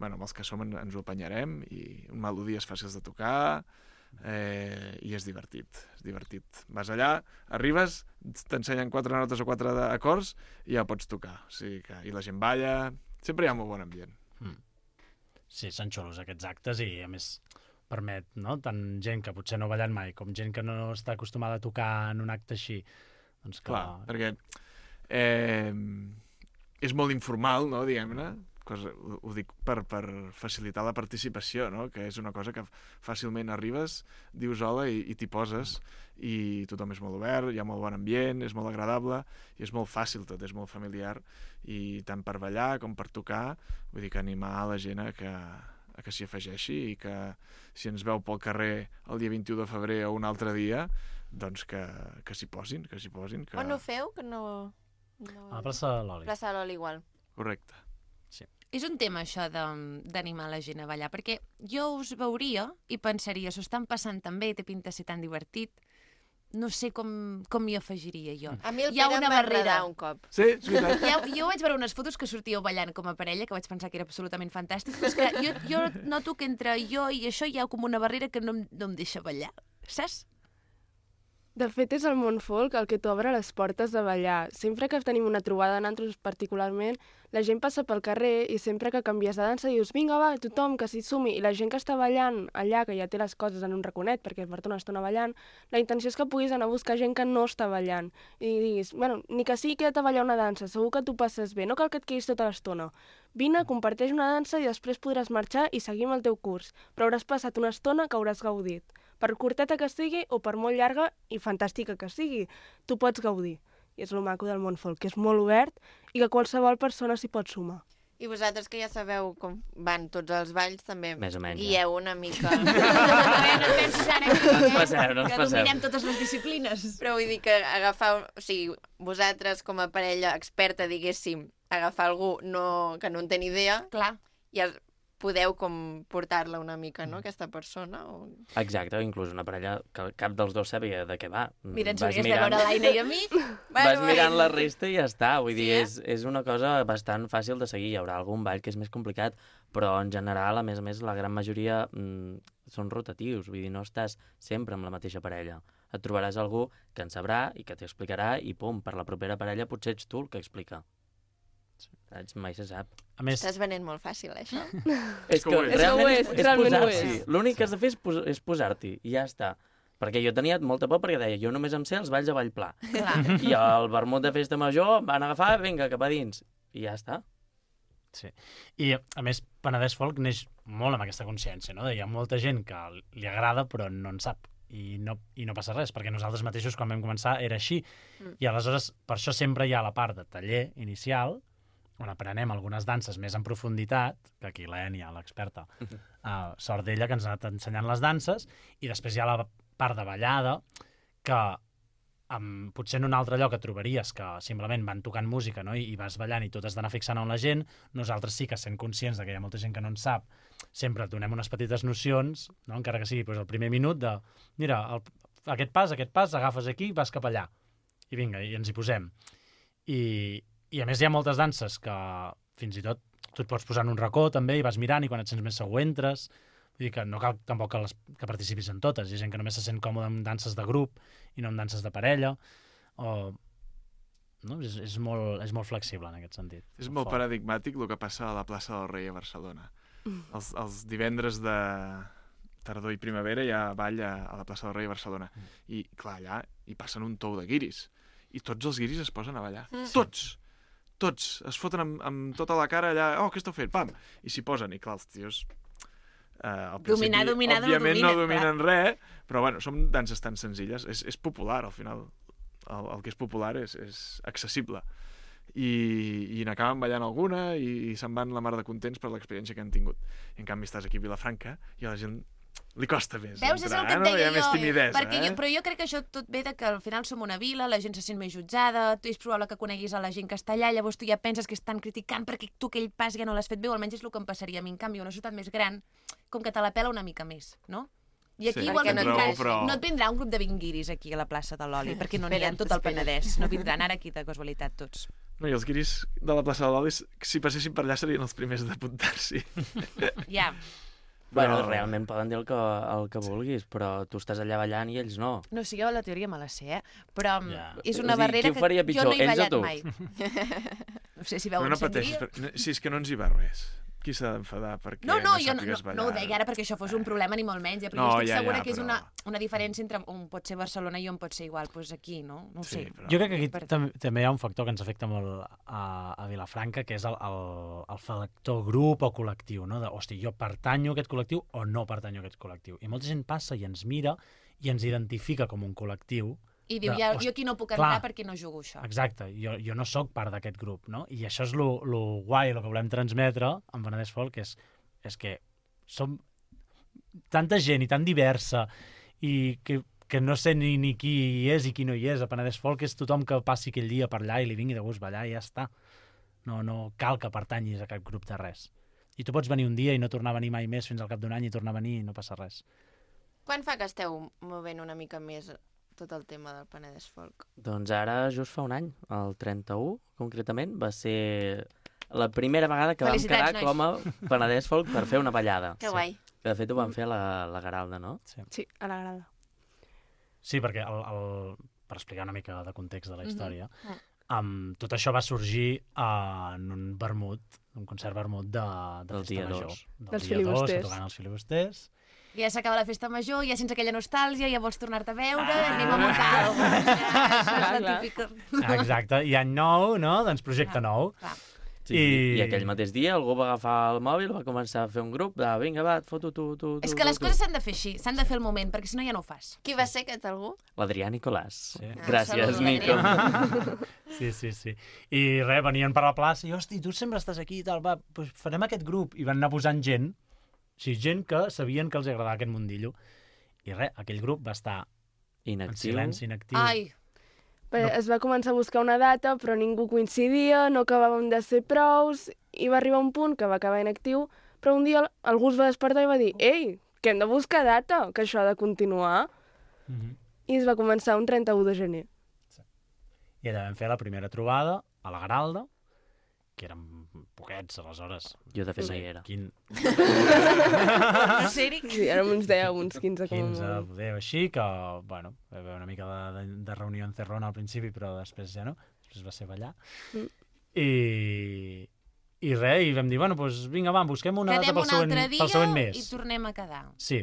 I: bueno, amb els que som ens ho apanyarem, i melodies fàcils de tocar, eh, i és divertit, és divertit. Vas allà, arribes, t'ensenyen quatre notes o quatre acords, i ja pots tocar. O sigui que, i la gent balla, sempre hi ha molt bon ambient. Mm.
K: sí, són xulos aquests actes i, a més, permet, no?, tant gent que potser no ha ballat mai com gent que no està acostumada a tocar en un acte així. Doncs que...
I: Clar, perquè eh, és molt informal, no?, diguem-ne, cosa, ho dic per, per facilitar la participació, no?, que és una cosa que fàcilment arribes, dius hola i, i t'hi poses, i tothom és molt obert, hi ha molt bon ambient, és molt agradable, i és molt fàcil tot, és molt familiar, i tant per ballar com per tocar, vull dir que animar la gent a que, a que s'hi afegeixi i que si ens veu pel carrer el dia vint-i-u de febrer o un altre dia, doncs que, que s'hi posin, que s'hi posin. Que...
A: On ho feu? Que no... no...
K: A la plaça de l'Oli.
A: Plaça de l'Oli igual.
I: Correcte.
K: Sí.
B: És un tema, això, d'animar la gent a ballar, perquè jo us veuria i pensaria, s'ho estan passant tan bé, té pinta de ser tan divertit, no sé com, com m'hi afegiria jo.
A: A mi el
B: Hi ha
A: Pere
B: una
A: em va
B: barrera
A: agradar un cop.
I: Sí, és veritat.
B: Ja, jo vaig veure unes fotos que sortíeu ballant com a parella, que vaig pensar que era absolutament fantàstic, però és que jo, jo noto que entre jo i això hi ha com una barrera que no, em- no em deixa ballar, saps?
L: De fet, és el món folk el que t'obre les portes de ballar. Sempre que tenim una trobada, nosaltres particularment, la gent passa pel carrer i sempre que canvies de dansa dius vinga, va, tothom, que s'hi sumi. I la gent que està ballant allà, que ja té les coses en un raconet perquè es porta una estona ballant, la intenció és que puguis anar a buscar gent que no està ballant. I diguis, bueno, ni que sigui queda't a ballar una dansa, segur que tu passes bé, no cal que et quedis tota l'estona. Vine, comparteix una dansa i després podràs marxar i seguir amb el teu curs, però hauràs passat una estona que hauràs gaudit. Per curteta que sigui o per molt llarga i fantàstica que sigui, tu pots gaudir. I és el maco del món folk, que és molt obert i que qualsevol persona s'hi pot sumar.
A: I vosaltres que ja sabeu com van tots els balls, també
J: Més o menys,
A: guieu una mica.
B: A veure, no pensis ara aquí,
J: No ens passeu, no ens
B: que
J: passeu.
B: dominem totes les disciplines.
A: Però vull dir que agafar, o sigui, vosaltres com a parella experta, diguéssim, agafar algú no, que no en té ni idea,
B: clar,
A: ja podeu com portar-la una mica, no?, aquesta persona. O...
J: Exacte, inclús una parella que cap dels dos sàpiga de què va.
B: Mira, ens
J: Vas
B: hauries de
J: mirant-
B: veure l'Aina i a mi.
J: Vas mirant la resta i ja està. Vull
B: Sí,
J: dir,
B: eh?
J: és, és una cosa bastant fàcil de seguir. Hi haurà algun ball que és més complicat, però en general, a més a més, la gran majoria mm, són rotatius. Vull dir, no estàs sempre amb la mateixa parella. Et trobaràs algú que en sabrà i que t'explicarà i pum, per la propera parella potser ets tu el que explica. Saps? Mai se sap.
K: A més...
A: Estàs venent molt fàcil, això.
J: És que
L: ho és.
J: realment
L: És
J: és,
L: que ho és,
J: és
L: realment ho
J: posar-s'hi.
L: és.
J: L'únic que has de fer és, pos és posar-t'hi i ja està. Perquè jo tenia molta por perquè deia, jo només em sé els balls de Vallplà.
B: Clar.
J: I el vermut de festa major em van agafar, vinga, cap a dins. I ja està.
K: Sí. I, a més, Penedès Folk neix molt amb aquesta consciència, no? Hi ha molta gent que li agrada però no en sap. I no, i no passa res, perquè nosaltres mateixos, quan vam començar, era així.
A: Mm.
K: I aleshores, per això sempre hi ha la part de taller inicial, on aprenem algunes danses més en profunditat, que aquí la Ènia, l'experta, uh, sort d'ella que ens ha anat ensenyant les danses, i després hi ha la part de ballada, que um, potser en un altre lloc et trobaries que simplement van tocant música, no? I, i vas ballant i tot has d'anar fixant on la gent. Nosaltres sí que sent conscients de que hi ha molta gent que no en sap, sempre et donem unes petites nocions, no? Encara que sigui doncs, el primer minut de mira, el, aquest pas, aquest pas, agafes aquí, vas cap allà. I vinga, i ens hi posem. I, i a més hi ha moltes danses que fins i tot tu et pots posar en un racó també i vas mirant i quan et sents més segur entres. Vull dir que no cal tampoc que, les, que participis en totes. Hi ha gent que només se sent còmode amb danses de grup i no amb danses de parella. O... No? És, és, molt, és molt flexible en aquest sentit.
I: És molt paradigmàtic el que passa a la plaça del Rei a Barcelona. Els, els divendres de tardor i primavera hi ha ball a, a la plaça del Rei a Barcelona. I, clar, allà hi passen un tou de guiris. I tots els guiris es posen a ballar.
A: Mm.
I: Tots! Tots! Es foten amb, amb tota la cara allà, oh, què esteu fent? Pam! I s'hi posen. I clar, els tios... Eh, al
B: Dominar,
I: principi,
B: dominar, no
I: òbviament no
B: dominen,
I: dominen res, però bueno, són danses tan senzilles. És, és popular, al final. El, el que és popular és, és accessible. I, i n'acaben ballant alguna i, i se'n van la mar de contents per l'experiència que han tingut. I en canvi estàs aquí a Vilafranca i a la gent li costa més
B: Veus, és el que
I: entrar,
B: et
I: no? Hi
B: deia
I: ha més
B: jo.
I: timidesa,
B: Perquè
I: eh?
B: jo, però jo crec que això tot ve de que al final som una vila, la gent se sent més jutjada, tu és probable que coneguis a la gent que està allà, llavors tu ja penses que estan criticant perquè tu aquell pas ja no l'has fet bé, o almenys és el que em passaria a mi. En canvi, una ciutat més gran, com que te la pela una mica més, no? I aquí
I: Sí,
B: igual no,
I: tens
B: et
I: raó,
B: vindràs,
I: però-
B: no et vindrà un grup de vint guiris aquí a la plaça de l'Oli, perquè no n'hi ha en tot el
A: Espera't,
B: Penedès. No vindran ara aquí de casualitat tots.
I: No, i els guiris de la plaça de l'Oli, si passessin per allà serien els primers d'apuntar-s'hi.
B: Ja.
J: Bueno,
I: Però-
J: realment poden dir el que, el que vulguis, però tu estàs allà ballant i ells no.
B: No, sí, jo la teoria me la sé, eh? Però
J: Ja.
B: és
J: O
B: una
J: sigui,
B: barrera
J: qui ho faria
B: que jo
J: pitjor,
B: no he
J: ells o
B: ballat
J: tu?
B: mai. No sé si
I: Però
B: veuen
I: no pateixis,
B: sangria.
I: per... no, si és que no ens hi va res. qui s'ha d'enfadar perquè
B: no, no,
I: no
B: jo no,
I: sàpigues
B: no,
I: ballar?
B: no ho deia ara perquè això fos un problema ni molt menys, eh? però
I: No,
B: jo estic
I: ja,
B: segura
I: ja,
B: que és
I: però-
B: una, una diferència entre on pot ser Barcelona i on pot ser igual, doncs aquí, no? No ho
I: Sí,
B: sé.
I: però-
K: Jo crec que aquí
B: Per-
K: tam també hi ha un factor que ens afecta molt a, a Vilafranca, que és el, el, el factor grup o col·lectiu, no? De, hosti, jo pertanyo a aquest col·lectiu o no pertanyo a aquest col·lectiu. I molta gent passa i ens mira i ens identifica com un col·lectiu.
B: I diu,
K: de,
B: ja,
K: hosti,
B: jo aquí no puc
K: clar,
B: entrar perquè no jugo això.
K: Exacte, jo, jo no sóc part d'aquest grup, no? I això és lo, lo guai, el que volem transmetre en Penedès Folk, és, és que som tanta gent i tan diversa i que, que no sé ni, ni qui hi és i qui no hi és. A Penedès Folk és tothom que passi aquell dia per allà i li vingui de gust ballar i ja està. No, no cal que pertanyis a cap grup de res. I tu pots venir un dia i no tornar a venir mai més fins al cap d'un any i tornar a venir i no passa res.
A: Quan fa que esteu movent una mica més tot el tema del Penedès Folk?
J: Doncs ara just fa un any, el trenta-u, concretament, va ser la primera vegada que vam
B: Felicitats,
J: quedar
B: nois.
J: com a Penedès Folk per fer una ballada.
A: Que guai.
J: Que de fet ho vam fer a la, la Garalda, no?
K: Sí,
L: Sí, a la grada.
K: sí perquè el, el, per explicar una mica de context de la història,
B: Mhm. Mm.
K: um, tot això va sorgir uh, en un vermut, un concert vermut de, de
J: Del
K: Festa
J: dia
K: Major.
J: dos.
K: Del
L: Dels
K: dia dos, que
L: filibusters.
K: tocaven els filibusters.
B: Ja s'acaba la festa major, ja sense aquella nostàlgia, ja vols tornar-te a veure, ah. anem a muntar alguna cosa. Ja, això és la
L: Clar,
B: típica...
K: Ah, exacte, i any nou, no? Doncs projecte nou.
B: Clar.
J: Sí,
K: I...
J: I... I aquell mateix dia algú va agafar el mòbil, va començar a fer un grup de vinga, va, et foto tu, tu, tu.
B: És que les
J: tu,
B: coses s'han de fer així, s'han de fer al moment, perquè si no ja no ho fas.
A: Qui va ser aquest algú?
J: L'Adrià Nicolàs.
K: Sí.
A: Ah,
J: Gràcies,
A: saludo,
J: Nico.
K: Sí, sí, sí. I res, venien per la plaça i, hosti, tu sempre estàs aquí i tal, va, doncs farem aquest grup. I van anar posant gent, o sigui, gent que sabien que els agradava aquest mundillo. I res, aquell grup va estar en
J: Inactiu.
K: silenci, inactiu.
B: Ai,
L: Però
K: No.
L: es va començar a buscar una data, però ningú coincidia, no acabàvem de ser prous, i va arribar un punt que va acabar inactiu, però un dia algú es va despertar i va dir «Ei, que hem de buscar data, que això ha de continuar».
K: Mhm.
L: I es va començar un trenta-u de gener.
K: I allà vam fer la primera trobada a la Garalda, que érem poquets, aleshores.
J: Jo, de fet, no hi era.
K: Quin...
B: no sé, Eric.
L: Sí, érem uns deu, uns quinze com a
K: quinze,
L: molt.
K: poder, així, que, bueno, va haver una mica de, de, de reunió encerrona al principi, però després ja no, després va ser ballar.
L: Mm.
K: I, i res, i vam dir, bueno, doncs vinga, va, busquem una data
B: Quedem
K: pel
B: un
K: següent,
B: altre dia
K: pel següent
B: i
K: mes.
B: tornem a quedar.
K: Sí,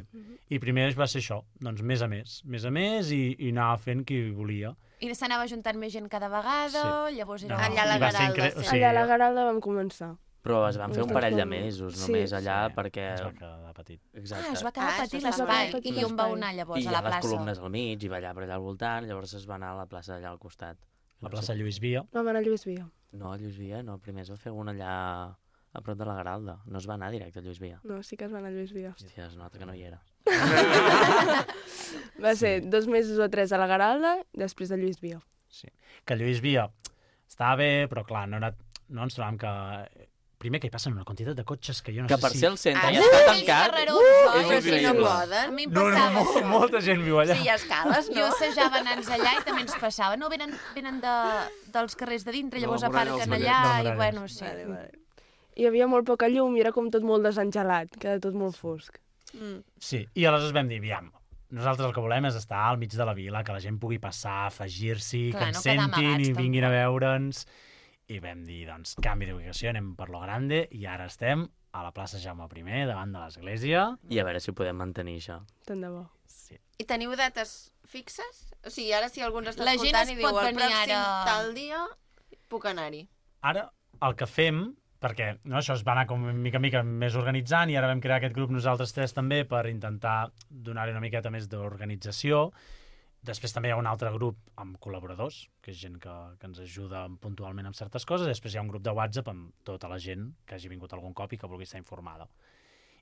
K: i primer va ser això, doncs mes a mes, mes a mes, i, i anava fent qui volia.
B: I s'anava juntant més gent cada vegada,
K: Sí.
B: llavors era...
A: Allà a la
K: i va ser
A: Garalda,
K: incre-
A: sí.
K: o sigui,
L: Allà a la Garalda vam començar.
J: Però es van fer un
L: Uns
J: parell de
L: dos
J: mesos,
L: Sí,
J: només allà,
K: sí,
J: perquè...
K: es va quedar petit.
J: Exacte.
B: Ah, es va quedar
A: Ah,
B: petit
A: això es va
B: l'espai.
L: quedar petit
B: I on va
L: l'espai.
B: anar
J: I
B: llavors,
J: hi
B: a
J: ha
B: la
J: les
B: plaça?
J: columnes al mig i ballar per allà al voltant, llavors es va anar a la plaça allà al costat.
K: La plaça Lluís Via.
L: Vam anar a Lluís Via.
J: No, a Lluís Via, no, primer es va fer una allà a prop de la Garalda. No es va anar directe a Lluís Via.
L: No, sí que es va anar a Lluís Via.
J: Hòstia, es nota que no hi era.
L: Va ser dos mesos o tres a la Garalda, després de Lluís Via.
K: Sí. Que Lluís Via estava bé, però clar, no, era, no ens trobàvem que... Primer que hi passen una quantitat de cotxes que jo no
J: Que
K: sé
J: per
K: si...
J: ser el centre
A: Ah,
J: ja
A: sí?
J: està
A: Aquells
J: tancat.
B: carrerons,
J: és
A: Però si no
J: increïble.
B: A
A: poden.
B: mi em
K: No, no,
B: passava
K: no,
B: això.
K: molta gent viu allà.
A: Sí, hi ha escales,
B: Jo
A: no?
B: assajava nans allà i també ens passava. No, venen, venen de, dels carrers de dintre,
I: De la
B: llavors
I: muralla
B: aparquen
I: dels
B: allà
K: Muralles.
B: i
K: De la
B: bueno, sí.
A: Vale, vale.
L: Hi havia molt poca llum i era com tot molt desengelat, queda tot molt fosc.
A: Mm.
K: Sí, i aleshores vam dir, aviam, nosaltres el que volem és estar al mig de la vila, que la gent pugui passar, afegir-s'hi, que
B: Clar,
K: ens
B: no quedar
K: sentin
B: amagats,
K: i vinguin a
B: tampoc.
K: veure'ns. I vam dir, doncs, canvi d'ubicació, anem per lo grande, i ara estem a la plaça Jaume primer, davant de l'església.
J: I a veure si ho podem mantenir, això.
L: Tant de bo.
K: Sí.
A: I teniu dates fixes? O sigui, ara si algú ens està
B: La gent
A: escoltant
B: es
A: i diu
B: pot
A: el
B: venir
A: pròxim
B: ara-
A: tal dia puc anar-hi.
K: Ara, el que fem, perquè no, això es va anar com mica en mica més organitzant i ara vam crear aquest grup nosaltres tres també per intentar donar-hi una miqueta més d'organització. Després també hi ha un altre grup amb col·laboradors, que és gent que, que ens ajuda puntualment amb certes coses. Després hi ha un grup de WhatsApp amb tota la gent que hagi vingut algun cop i que vulgui estar informada.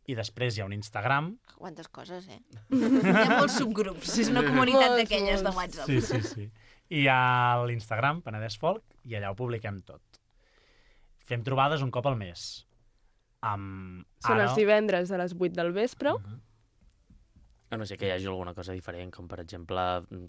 K: I després hi ha un Instagram.
A: Quantes coses, eh?
B: Hi ha molts subgrups, és una comunitat
L: Molts,
B: d'aquelles de
L: molts.
B: WhatsApp.
K: Sí, sí, sí. I hi ha l'Instagram, Penedès Folk, i allà ho publiquem tot. Fem trobades un cop al mes. Amb...
L: Són
K: ara...
L: els divendres a les vuit del vespre.
K: Mhm.
J: A no sé que hi hagi alguna cosa diferent, com per exemple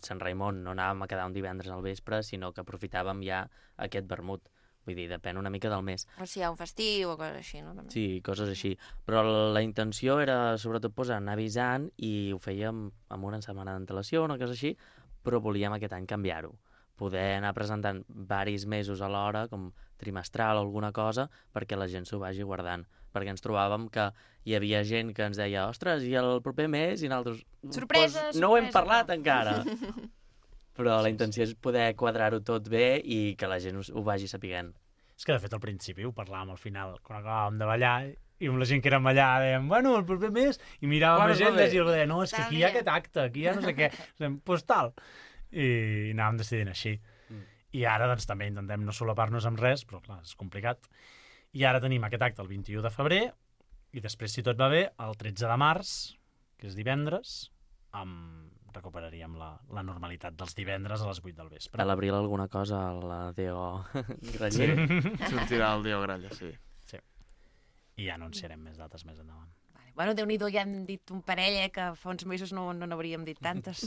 J: Sant Raimon, no anàvem a quedar un divendres al vespre, sinó que aprofitàvem ja aquest vermut. Vull dir, depèn una mica del mes.
A: O si hi ha un festiu o coses així, no? També.
J: Sí, coses així. Però la intenció era, sobretot, posar, anar avisant i ho fèiem amb una setmana d'antelació, una cosa així, però volíem aquest any canviar-ho. Poder anar presentant varis mesos alhora, com trimestral o alguna cosa, perquè la gent s'ho vagi guardant. perquè ens trobàvem que hi havia gent que ens deia ostres, i el proper mes? I nosaltres...
B: Sorpresa,
J: pues, no ho hem
B: sorpresa,
J: parlat
B: no.
J: encara. Però la intenció és poder quadrar-ho tot bé i que la gent ho, ho vagi sapiguent.
K: És que, de fet, al principi ho parlàvem al final, quan acabàvem de ballar, i amb la gent que érem allà dèiem, bueno, el proper mes, i miràvem agendes i algú deia, no, és que aquí hi ha aquest acte, aquí hi ha no sé què, pues tal. I anàvem decidint així. Mm. I ara, doncs, també intentem no solapar-nos amb res, però, clar, és complicat. I ara tenim aquest acte el vint-i-u de febrer, i després, si tot va bé, el tretze de març, que és divendres, amb... recuperaríem la, la normalitat dels divendres a les vuit del vespre.
J: A l'abril alguna cosa a la Deo Graller.
I: Sí, sortirà el Deo Gralla, sí.
K: Sí. I ja anunciarem més dates més endavant.
B: Vale. Bueno, Déu-n'hi-do, ja hem dit un parell, eh, que fa uns mesos no n'hauríem no dit tantes.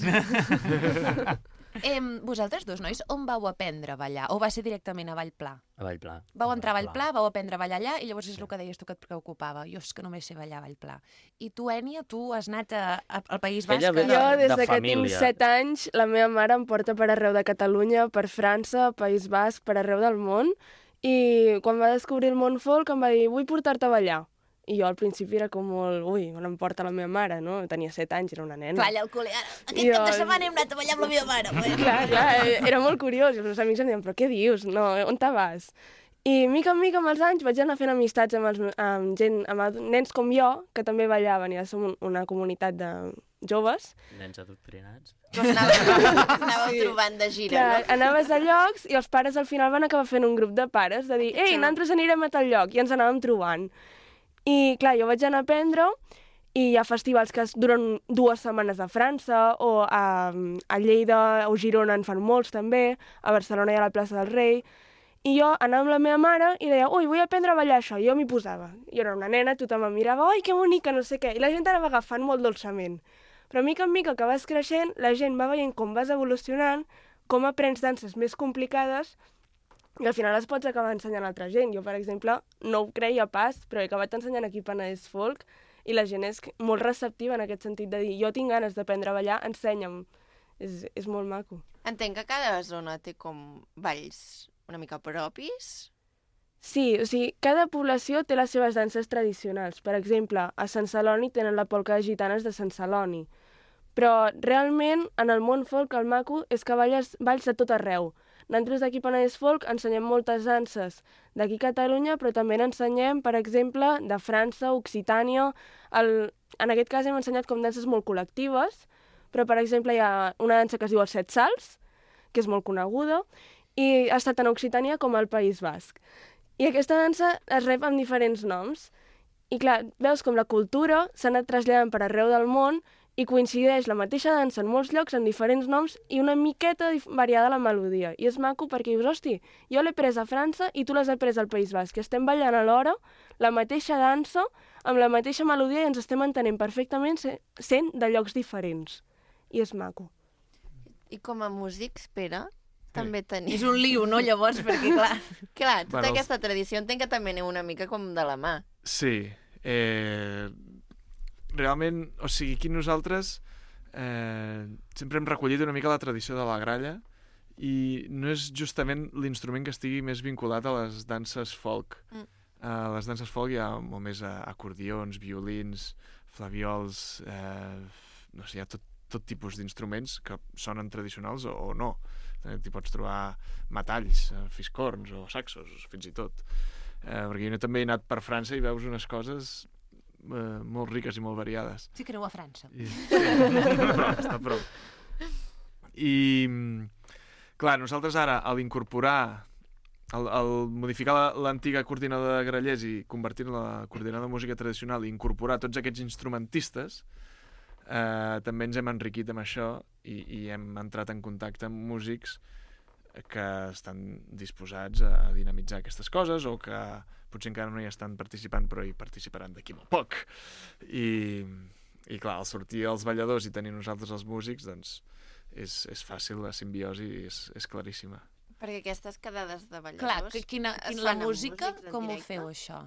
B: eh, vosaltres dos, nois, on vau aprendre a ballar? O va ser directament a Vallplà?
J: A Vallplà.
B: Vau entrar a Vallplà, vau aprendre a ballar allà, i llavors és el que deies tu que et preocupava. Jo és que només sé ballar a Vallplà. I tu, Ènia, tu has anat a, a, al País Basc?
L: Jo, des de, de que tinc set anys, la meva mare em porta per arreu de Catalunya, per França, País Basc, per arreu del món, i quan va descobrir el món folk em va dir, vull portar-te a ballar. I jo al principi era com molt, ui, on em porta la meva mare, no? Tenia set anys, era una nena.
B: Clar, allà al col·le, ara, aquest cap de setmana hem anat a ballar amb la meva mare. Bueno.
L: Clar, clar, era molt curiós, i els meus amics em deien, però què dius? No, on te vas? I mica en mica amb els anys vaig anar fent amistats amb, els, amb gent, amb nens com jo, que també ballaven, i ja som una comunitat de joves.
J: Nens adoctrinats.
A: Doncs anàveu, anàveu sí. trobant de gira,
L: clar,
A: no?
L: Anaves a llocs i els pares al final van acabar fent un grup de pares, de dir, ei, nosaltres anirem a tal lloc, i ens anàvem trobant. I, clar, jo vaig anar a aprendre i hi ha festivals que duren dues setmanes a França, o a, a Lleida o Girona en fan molts també, a Barcelona hi ha la plaça del Rei, i jo anava amb la meva mare i deia, ui, vull aprendre a ballar això, i jo m'hi posava. Jo era una nena, tothom em mirava, oi, que bonica, no sé què, i la gent anava agafant molt dolçament. Però mica en mica que vas creixent, la gent va veient com vas evolucionant, com aprens danses més complicades, i al final les pots acabar ensenyant a altra gent. Jo, per exemple, no ho creia pas, però he acabat ensenyant aquí Penedès Folk i la gent és molt receptiva en aquest sentit de dir jo tinc ganes d'aprendre a ballar, ensenya'm. És, és molt maco.
A: Entenc que cada zona té com balls una mica propis?
L: Sí, o sigui, cada població té les seves danses tradicionals. Per exemple, a Sant Celoni tenen la polca de gitanes de Sant Celoni. Però realment, en el món folk, el maco és que balles, balls de tot arreu. Nosaltres d'aquí Penedès Folk ensenyem moltes danses d'aquí a Catalunya, però també n'ensenyem, per exemple, de França, Occitània. El... En aquest cas hem ensenyat com danses molt col·lectives, però, per exemple, hi ha una dansa que es diu els Set Salts, que és molt coneguda, i ha estat tant a Occitània com al País Basc. I aquesta dansa es rep amb diferents noms. I clar, veus com la cultura s'ha anat traslladant per arreu del món i coincideix la mateixa dansa en molts llocs amb diferents noms i una miqueta variada la melodia. I és maco perquè dius, hosti, jo l'he pres a França i tu l'has pres al País Basc, que estem ballant alhora la mateixa dansa amb la mateixa melodia i ens estem entenent perfectament sent de llocs diferents. I és maco.
A: I com a músics, Pere, també tenim...
B: És un liu, no, llavors? Perquè, clar...
A: clar, tota
I: bueno,
A: aquesta tradició entenc que també aneu una mica com de la mà.
I: Sí. Eh... Realment, o sigui, aquí nosaltres eh, sempre hem recollit una mica la tradició de la gralla i no és justament l'instrument que estigui més vinculat a les danses folk. Mm. A les danses folk hi ha molt més acordions, violins, flaviols, eh, no sé, hi ha tot, tot tipus d'instruments que sonen tradicionals o, o no. T'hi pots trobar metalls, fiscorns o saxos, fins i tot. Eh, perquè jo també he anat per França i veus unes coses... Uh, molt riques i molt variades.
B: Sí que aneu a França.
I: I, sí, està prou, està prou. I, clar, nosaltres ara, a l'incorporar, al, al modificar l'antiga coordinadora de grallers i convertir-la en la coordinadora de música tradicional i incorporar tots aquests instrumentistes, eh, també ens hem enriquit amb això i, i hem entrat en contacte amb músics que estan disposats a dinamitzar aquestes coses o que potser encara no hi estan participant però hi participaran d'aquí molt poc. I, i clar, al sortir els balladors i tenir nosaltres els músics, doncs és, és fàcil, la simbiosi és, és claríssima.
A: Perquè aquestes quedades de balladors...
B: Clar, que quina, quina la música, com ho feu, això?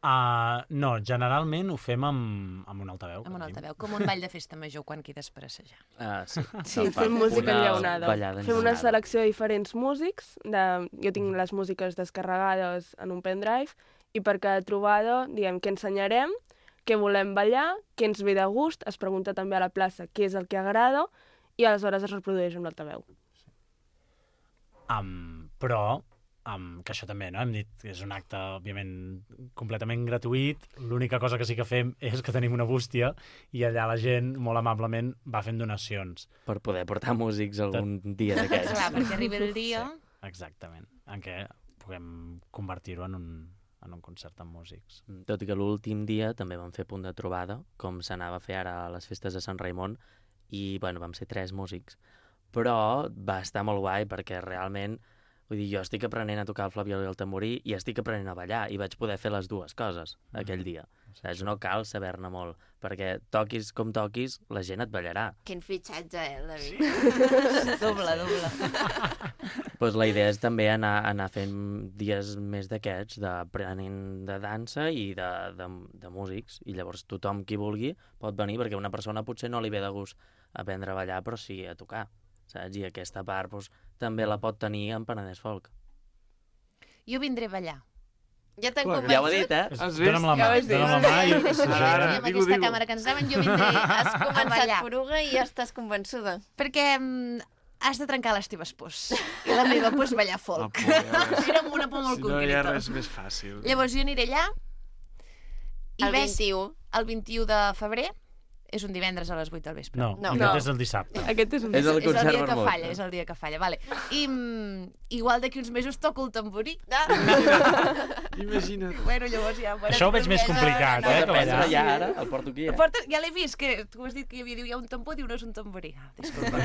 K: Uh, no, generalment ho fem amb, amb un altaveu.
B: Amb un altaveu, com un ball de festa major quan quedes per assajar.
J: Uh, sí,
L: sí fem música enllaunada. Fem una selecció de diferents músics. De... Jo tinc les músiques descarregades en un pendrive i per cada trobada diem què ensenyarem, què volem ballar, què ens ve de gust, es pregunta també a la plaça què és el que agrada i aleshores es reprodueix amb l'altaveu.
K: Um, però, um, que això també, no? Hem dit que és un acte, òbviament, completament gratuït. L'única cosa que sí que fem és que tenim una bústia i allà la gent, molt amablement, va fent donacions.
J: Per poder portar músics algun dia d'aquests.
B: Clar, perquè arribi el dia...
K: Sí, exactament, en què puguem convertir-ho en un, en un concert amb músics.
J: Tot i que l'últim dia també vam fer punt de trobada, com s'anava a fer ara a les festes de Sant Raimon, i bueno, vam ser tres músics. Però va estar molt guai perquè realment, vull dir, jo estic aprenent a tocar el flabiol i el tamborí i estic aprenent a ballar i vaig poder fer les dues coses aquell dia. Saps? No cal saber-ne molt, perquè toquis com toquis, la gent et ballarà.
A: Quin fitxatge, eh, David?
B: Sí. Doble, doble.
J: Pues la idea és també anar, anar fent dies més d'aquests, d'aprenent de dansa i de, de, de músics, i llavors tothom qui vulgui pot venir, perquè una persona potser no li ve de gust aprendre a ballar, però sí a tocar. Saps? I aquesta part doncs, també la pot tenir en Penedès Folk.
B: Jo vindré a ballar.
A: Ja t'han convençut?
J: Ja ho he dit, eh?
K: Has vist? Dona'm la mà, ja dona'm la mà i...
B: Ara, ara, amb aquesta digo. Càmera que ens anaven, jo vindré
A: Has
B: a
A: començat
B: ballar.
A: poruga i ja estàs convençuda.
B: Perquè mm, has de trencar les teves pors. I la meva por és ballar folk.
I: Oh, ja
B: Era amb una por molt
I: si no
B: concreta.
I: hi ha res més fàcil.
B: Llavors jo aniré allà. I
A: El
B: ves,
A: vint-i-u.
B: El vint-i-u de febrer. És un divendres a les vuit del vespre.
K: No,
A: No.
K: aquest
L: No.
K: és el dissabte.
L: Aquest és un...
J: És el
B: És el
J: concert
B: dia que
J: vermut.
B: falla, és el dia que falla, vale. I mm, igual d'aquí uns mesos toco el tamborí.
A: Ah.
I: Imagina't.
B: Bueno, llavors ja... Bueno,
K: Això ho veig més complicat, eh, que ballar.
J: Ja, ara, el porto aquí, eh?
B: Porta, ja l'he vist, que tu has dit que hi havia, diu, hi ha un tambor, diu, no és un tamborí. Ah, disculpa.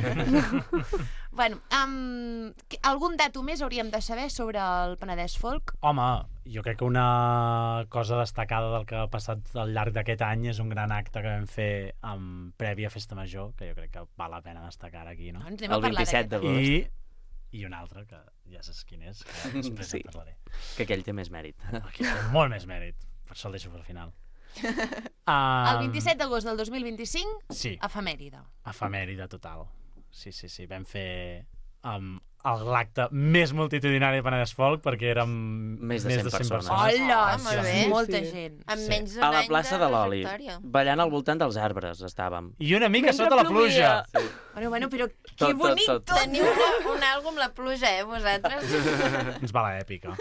B: Bueno, um, algun dato més hauríem de saber sobre el Penedès Folk?
K: Home, jo crec que una cosa destacada del que ha passat al llarg d'aquest any és un gran acte que vam fer amb prèvia Festa Major, que jo crec que val la pena destacar aquí, no?
B: Doncs anem a
J: El
B: parlar
J: vint-i-set
B: d'aquest.
J: d'agost.
K: I, I un altre, que ja saps quin és, que després
J: Sí.
K: en parlaré.
J: Que aquell té més mèrit.
K: Aquí té molt més mèrit, per això el deixo per final.
B: El vint-i-set d'agost del dos mil vint-i-cinc,
K: Sí.
B: efemèride.
K: Efemèride total. Sí, sí, sí. Vam fer um, l'acte més multitudinari de Penedès Folk perquè érem
J: Més de cent persones.
B: Hola,
A: Ah, molt bé.
B: molta
L: Sí.
B: gent.
A: Amb
K: Sí.
A: menys d'un
J: A la
A: any
J: plaça de l'Oli,
A: trajectòria.
J: ballant al voltant dels arbres estàvem.
K: I una mica
L: Mentre
K: sota la
L: plovia.
K: pluja.
B: Bueno, bueno, però
J: Tot,
B: que
J: tot,
B: bonic
J: tot.
B: tot.
A: Teniu una, un àlbum la pluja, eh, vosaltres?
K: Ens va l'èpica.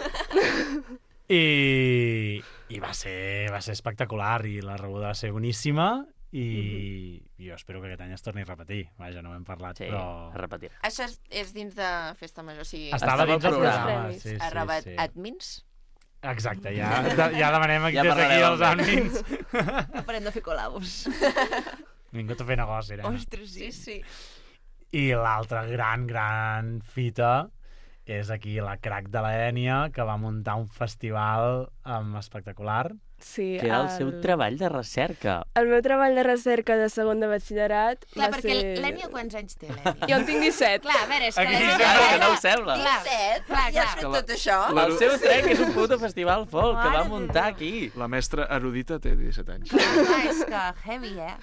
K: I, i va, ser, va ser espectacular i la rebuda va ser boníssima i jo espero que aquest any es torni a repetir. Vaja, no ho hem parlat,
J: Sí,
K: però...
J: es repetirà.
A: Això és, és dins de Festa Major, o sigui...
K: Estava
J: Estava
K: dins del
J: al
K: programa.
L: programa.
K: Sí, sí,
A: a Rabat
K: sí.
A: Admins?
K: Exacte, ja, ja demanem aquí,
J: Ja
K: des d'aquí
J: parlarem
K: els
J: amb
K: àmbits.
B: Aparem de fer col·labos.
K: Ningú t'ha fet negoci, Irene.
B: Ostres, sí.
A: sí.
K: I l'altra gran, gran fita és aquí la crac de la Ènia, que va muntar un festival um, espectacular.
L: Sí,
J: Que era el seu treball de recerca.
L: El meu treball de recerca de segon de batxillerat
B: Clar,
L: va
B: perquè
L: ser...
B: l'Ènia quants anys té, l'Ènia?
L: Jo en tinc disset.
B: Clar, a veure, és que
K: Aquí
B: l'Ènia...
K: disset,
J: Clar, que no ho sembla.
B: Clar,
A: disset?
B: clar,
A: Ja has
B: clar.
A: fet tot això?
J: El seu trec és un puto festival folk que va muntar aquí.
I: La mestra erudita té disset anys.
B: Clar, és que heavy, eh?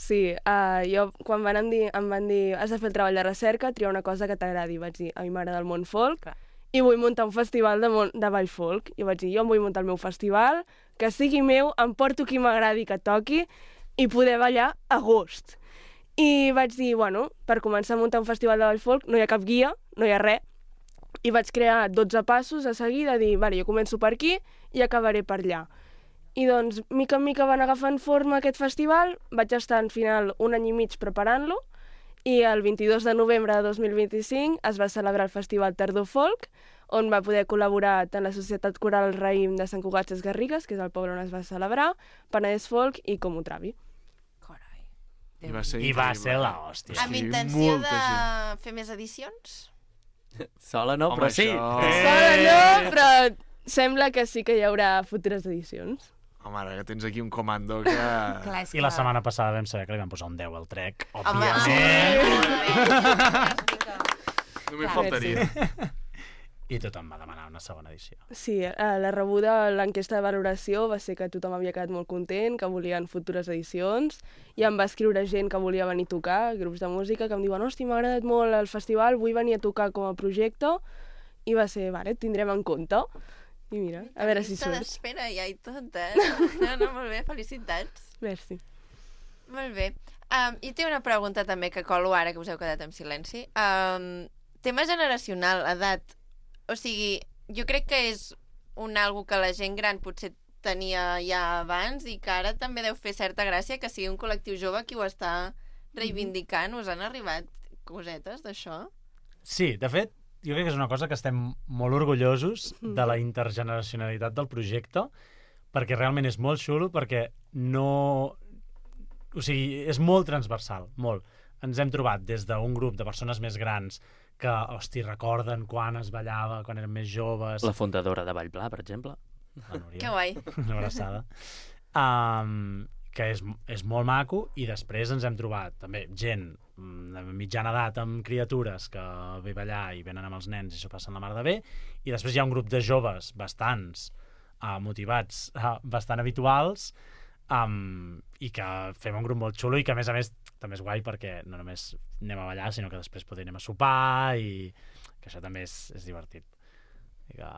L: Sí, uh, jo quan van em dir, em van dir has de fer el treball de recerca, triar una cosa que t'agradi. Vaig dir, a mi m'agrada el món folk
B: Clar.
L: i vull muntar un festival de, mon, de ball folk. I vaig dir, jo em vull muntar el meu festival, que sigui meu, em porto qui m'agradi que toqui i poder ballar a gust. I vaig dir, bueno, per començar a muntar un festival de ball folk no hi ha cap guia, no hi ha res, i vaig crear dotze passos a seguir de dir, vale, jo començo per aquí i acabaré per allà. I doncs, mica en mica van agafant forma aquest festival, vaig estar en final un any i mig preparant-lo, i el vint-i-dos de novembre de dos mil vint-i-cinc es va celebrar el Festival Tardor Folk, on va poder col·laborar tant la Societat Coral Raïm de Sant Cugat Ses Garrigues, que és el poble on es va celebrar, Penedès Folk i Comú Travi.
B: Carai.
I: I va ser
K: I va
I: increïble.
K: ser l'hòstia.
A: Amb
I: Sí,
A: intenció
I: molta
A: de
I: gent.
A: fer més edicions?
J: Sola no,
I: Home,
J: però sí.
I: això-
K: Eh!
L: Sola no, però sembla que sí que hi haurà futures edicions.
I: Home, ara que tens aquí un comando que...
B: Clar, és
K: I la
B: que-
K: setmana passada vam saber que li van posar un deu al trec,
A: Home,
K: òbviament.
I: Només
B: Clar,
I: faltaria.
K: I tothom va demanar una segona edició.
L: Sí, eh, la rebuda, l'enquesta de valoració va ser que tothom havia quedat molt content, que volien futures edicions, i em va escriure gent que volia venir a tocar, grups de música, que em diuen, hosti, m'ha agradat molt el festival, vull venir a tocar com a projecte, i va ser, vale, tindrem en compte. I mira, a veure si surts.
A: D'espera ja i tot, eh? No, no, molt bé, felicitats.
L: Merci.
A: Molt bé. Um, I té una pregunta també que colo ara, que us heu quedat en silenci. Um, tema generacional, edat. O sigui, jo crec que és un algo que la gent gran potser tenia ja abans i que ara també deu fer certa gràcia que sigui un col·lectiu jove qui ho està reivindicant. Us han arribat cosetes d'això?
K: Sí, de fet, jo crec que és una cosa que estem molt orgullosos de la intergeneracionalitat del projecte, perquè realment és molt xulo, perquè no... O sigui, és molt transversal, molt. Ens hem trobat des d'un grup de persones més grans que, hosti, recorden quan es ballava, quan eren més joves...
J: La fundadora de Vallpla, per exemple.
K: La Núria.
A: Que guai.
K: Una abraçada. Um, que és, és molt maco, i després ens hem trobat també gent de mitjana edat amb criatures que ve a ballar i venen amb els nens i s'ho passen la mar de bé, i després hi ha un grup de joves bastants uh, motivats, uh, bastant habituals, um, i que fem un grup molt xulo i que a més a més també és guai perquè no només anem a ballar sinó que després podem anem a sopar i que això també és, és divertit. I que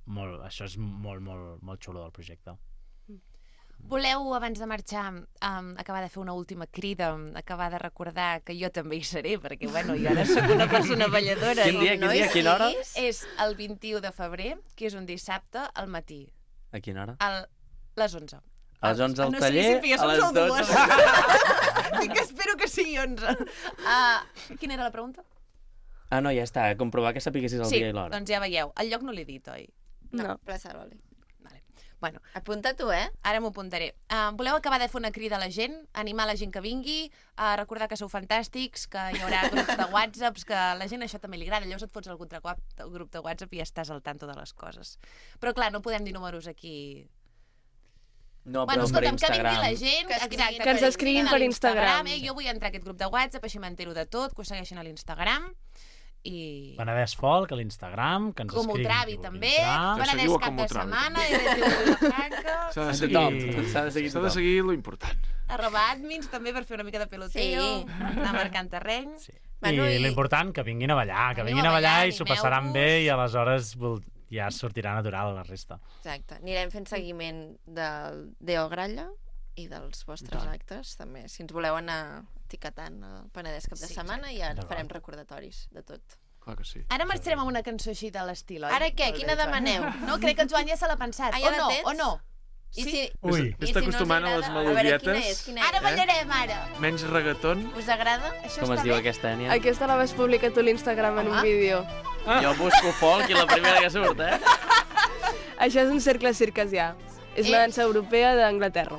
K: molt, això és molt, molt, molt xulo del projecte.
B: Voleu, abans de marxar, um, acabar de fer una última crida, acabar de recordar que jo també hi seré, perquè, bueno, jo ara soc una persona balladora.
J: Quin dia, quin dia, a quina hora?
B: És el vint-i-u de febrer, que és un dissabte, al matí.
J: A quina hora?
B: A les onze.
J: A les onze al
B: no
J: taller,
B: sé,
J: a les dotze.
B: Dic que espero que sigui onze. Uh, quina era la pregunta?
J: Ah, no, ja està, comprovar que sapiguessis el
B: sí,
J: dia i l'hora.
B: Sí, doncs ja veieu. El lloc no l'he dit, oi?
A: No, no. Plaça d'Oli.
B: Bueno,
A: apunta tu, eh?
B: Ara m'ho apuntaré. Uh, voleu acabar de fer una crida a la gent, animar la gent que vingui, uh, recordar que sou fantàstics, que hi haurà grups de whatsapps, que a la gent això també li agrada, llavors et fots al grup de WhatsApp i ja estàs al tanto de les coses. Però clar, no podem dir números aquí...
J: No,
B: bueno,
J: però
B: escolta'm,
J: per Instagram.
B: Que vingui la gent,
L: que,
B: exacte,
L: que ens escriguin per Instagram.
B: Eh? Jo vull entrar a aquest grup de WhatsApp, així m'entero de tot, que ho segueixin a l'Instagram. I...
K: Penedès Folk a l'Instagram, que ens
B: com
K: escriguin.
B: Com Travi, també. Penedès Cap de Setmana, R T V Vilafranca.
I: S'ha de seguir, s'ha de seguir, s'ha de seguir lo important.
B: Arroba admins, també, per fer una mica de peloteo, sí. Anar marcant terreny.
K: Sí. Bueno, I, i l'important, que vinguin a ballar, que vinguin a ballar, a ballar i s'ho passaran bé i aleshores ja sortirà natural la resta.
A: Exacte. Anirem fent seguiment del Deo Gralla i dels vostres Clar. actes, també. Si ens voleu anar etiquetant el Penedès Cap de sí, Setmana, ja farem recordatoris de tot.
I: Clar que sí.
B: Ara marxarem amb una cançó així de l'estil, oi?
A: Ara què? Quina demaneu?
B: No, crec que en Joan ja se l'ha pensat. Ah, ja o no? O no?
A: I si...
K: Ui.
I: Vés-te acostumant a les melodietes.
A: A veure, quina és? Quina és?
B: Ara ballarem, ara.
I: Menys reggaeton.
A: Us agrada?
B: Això
J: Com es
B: bé?
J: diu aquesta, Ènia?
L: Aquesta la vas publicar tu a l'Instagram en un vídeo.
J: Ah. Jo busco folk i la primera que surt, eh?
L: Això és un cercle circasià. És una dansa europea d'Anglaterra.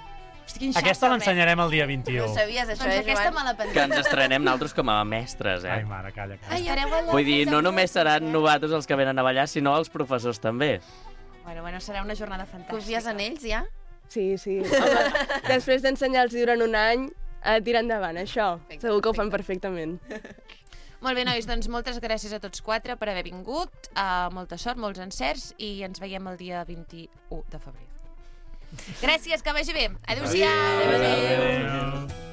K: Aquesta l'ensenyarem el dia vint-i-u.
A: No sabies això,
B: doncs
A: eh,
B: aquesta me la
J: Que ens estrenem nosaltres com a mestres, eh?
K: Ai, mare, calla, calla.
B: Ai,
J: Vull dir, no només seran novatos els que venen a ballar, sinó els professors també.
B: Bueno, bueno, serà una jornada fantàstica.
A: Confies en ells, ja?
L: Sí, sí. Home, després d'ensenyar-los durant un any, a tirar endavant, això. Perfecte, segur que ho fan perfectament.
B: Molt bé, nois, doncs moltes gràcies a tots quatre per haver vingut. Uh, molta sort, molts encerts i ens veiem el dia vint-i-u de febrer. Gràcies, que vagi bé. Adéu-siau.
K: Adéu. Adéu.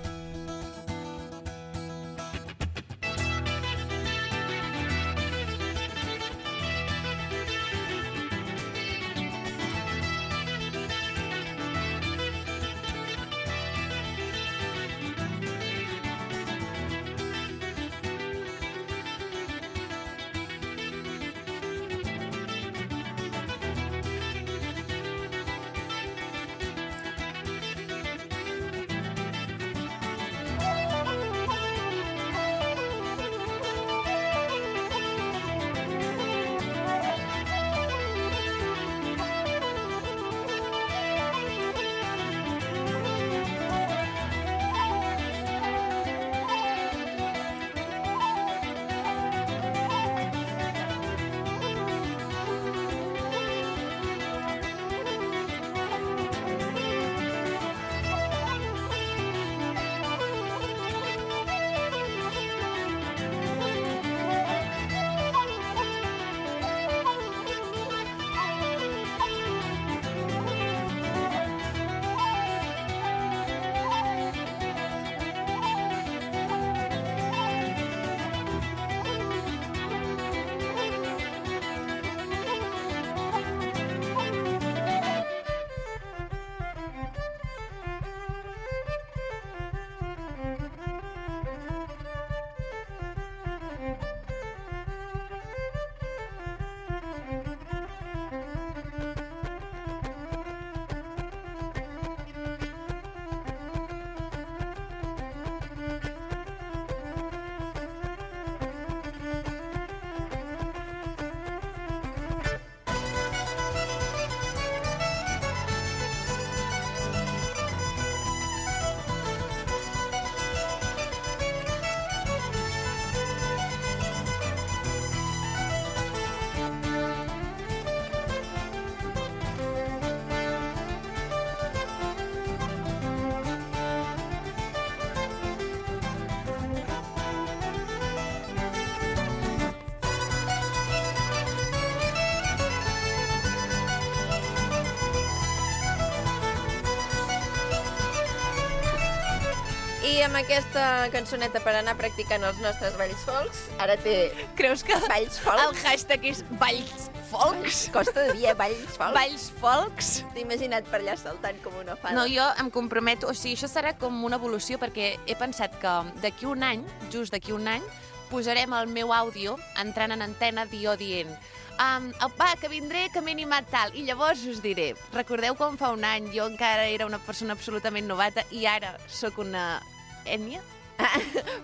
A: I amb aquesta cançoneta per anar practicant els nostres balls folks, ara té...
B: Creus que
A: balls folks?
B: El hashtag és balls folks?
A: Costa de dir, balls folks.
B: Balls folks?
A: T'he imaginat per allà saltant com una fada.
B: No, jo em comprometo, o sigui, això serà com una evolució, perquè he pensat que d'aquí un any, just d'aquí un any, posarem el meu àudio entrant en antena dio dient Um, va, que vindré, que m'he animat tal. I llavors us diré, recordeu quan fa un any jo encara era una persona absolutament novata i ara sóc una ètnia?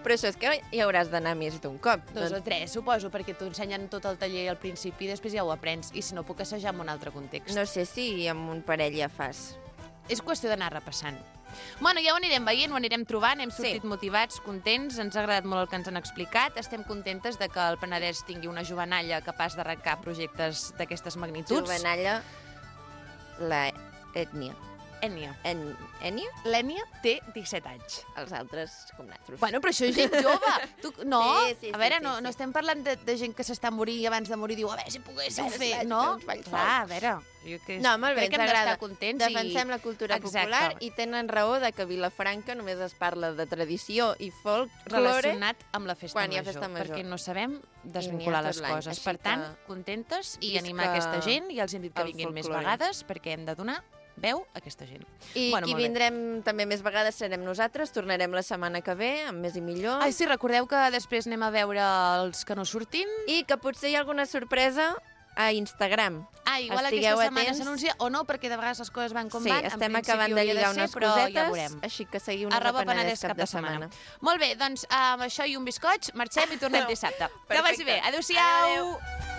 A: Però això és que hi hauràs d'anar més d'un cop.
B: Dos o tres, suposo, perquè t'ho ensenyen tot el taller al principi i després ja ho aprens. I si no, puc assajar en un altre context.
A: No sé si amb un parell ja fas.
B: És qüestió d'anar repassant. Bueno, ja ho anirem veient, ho anirem trobant, hem sortit sí. motivats, contents, ens ha agradat molt el que ens han explicat, estem contentes de que el Penedès tingui una jovenalla capaç d'arrencar projectes d'aquestes magnituds.
A: Jovenalla, la ètnia.
B: Ètnia.
A: En... Ètnia?
B: L'ètnia té disset anys.
A: Els altres, com nosaltres.
B: Bueno, però això és gent jove. Tu, no,
A: sí, sí,
B: a veure,
A: sí,
B: no,
A: sí.
B: no estem parlant de, de gent que s'està morint i abans de morir diu, a veure si poguéssim fer, no? Clar, a veure, jo que
A: no, molt bé,
B: crec que hem d'estar contents.
A: Defensem i... la cultura
B: Exacte.
A: popular i tenen raó de que a Vilafranca només es parla de tradició i folk
B: relacionat amb la festa
A: quan
B: major,
A: hi ha festa major,
B: perquè no sabem desvincular les coses. Per tant, contentes i animar aquesta gent i els hem dit que vinguin més vegades perquè hem de donar veu a aquesta gent.
A: I
B: bueno,
A: qui vindrem també més vegades serem nosaltres, tornarem la setmana que ve, amb més i millor.
B: Ai, sí, recordeu que després anem a veure els que no surtin.
A: I que potser hi ha alguna sorpresa a Instagram.
B: Ah, igual Estigueu aquesta setmana s'anuncia o no, perquè de vegades les coses van com
A: sí,
B: van.
A: Sí, estem acabant de lligar
B: de ser,
A: unes cosetes, ja així que seguiu-nos a Penedès cap de setmana. setmana.
B: Molt bé, doncs amb això i un bizcoig marxem i tornem dissabte. Que vagi bé. Adéu-siau! Adéu.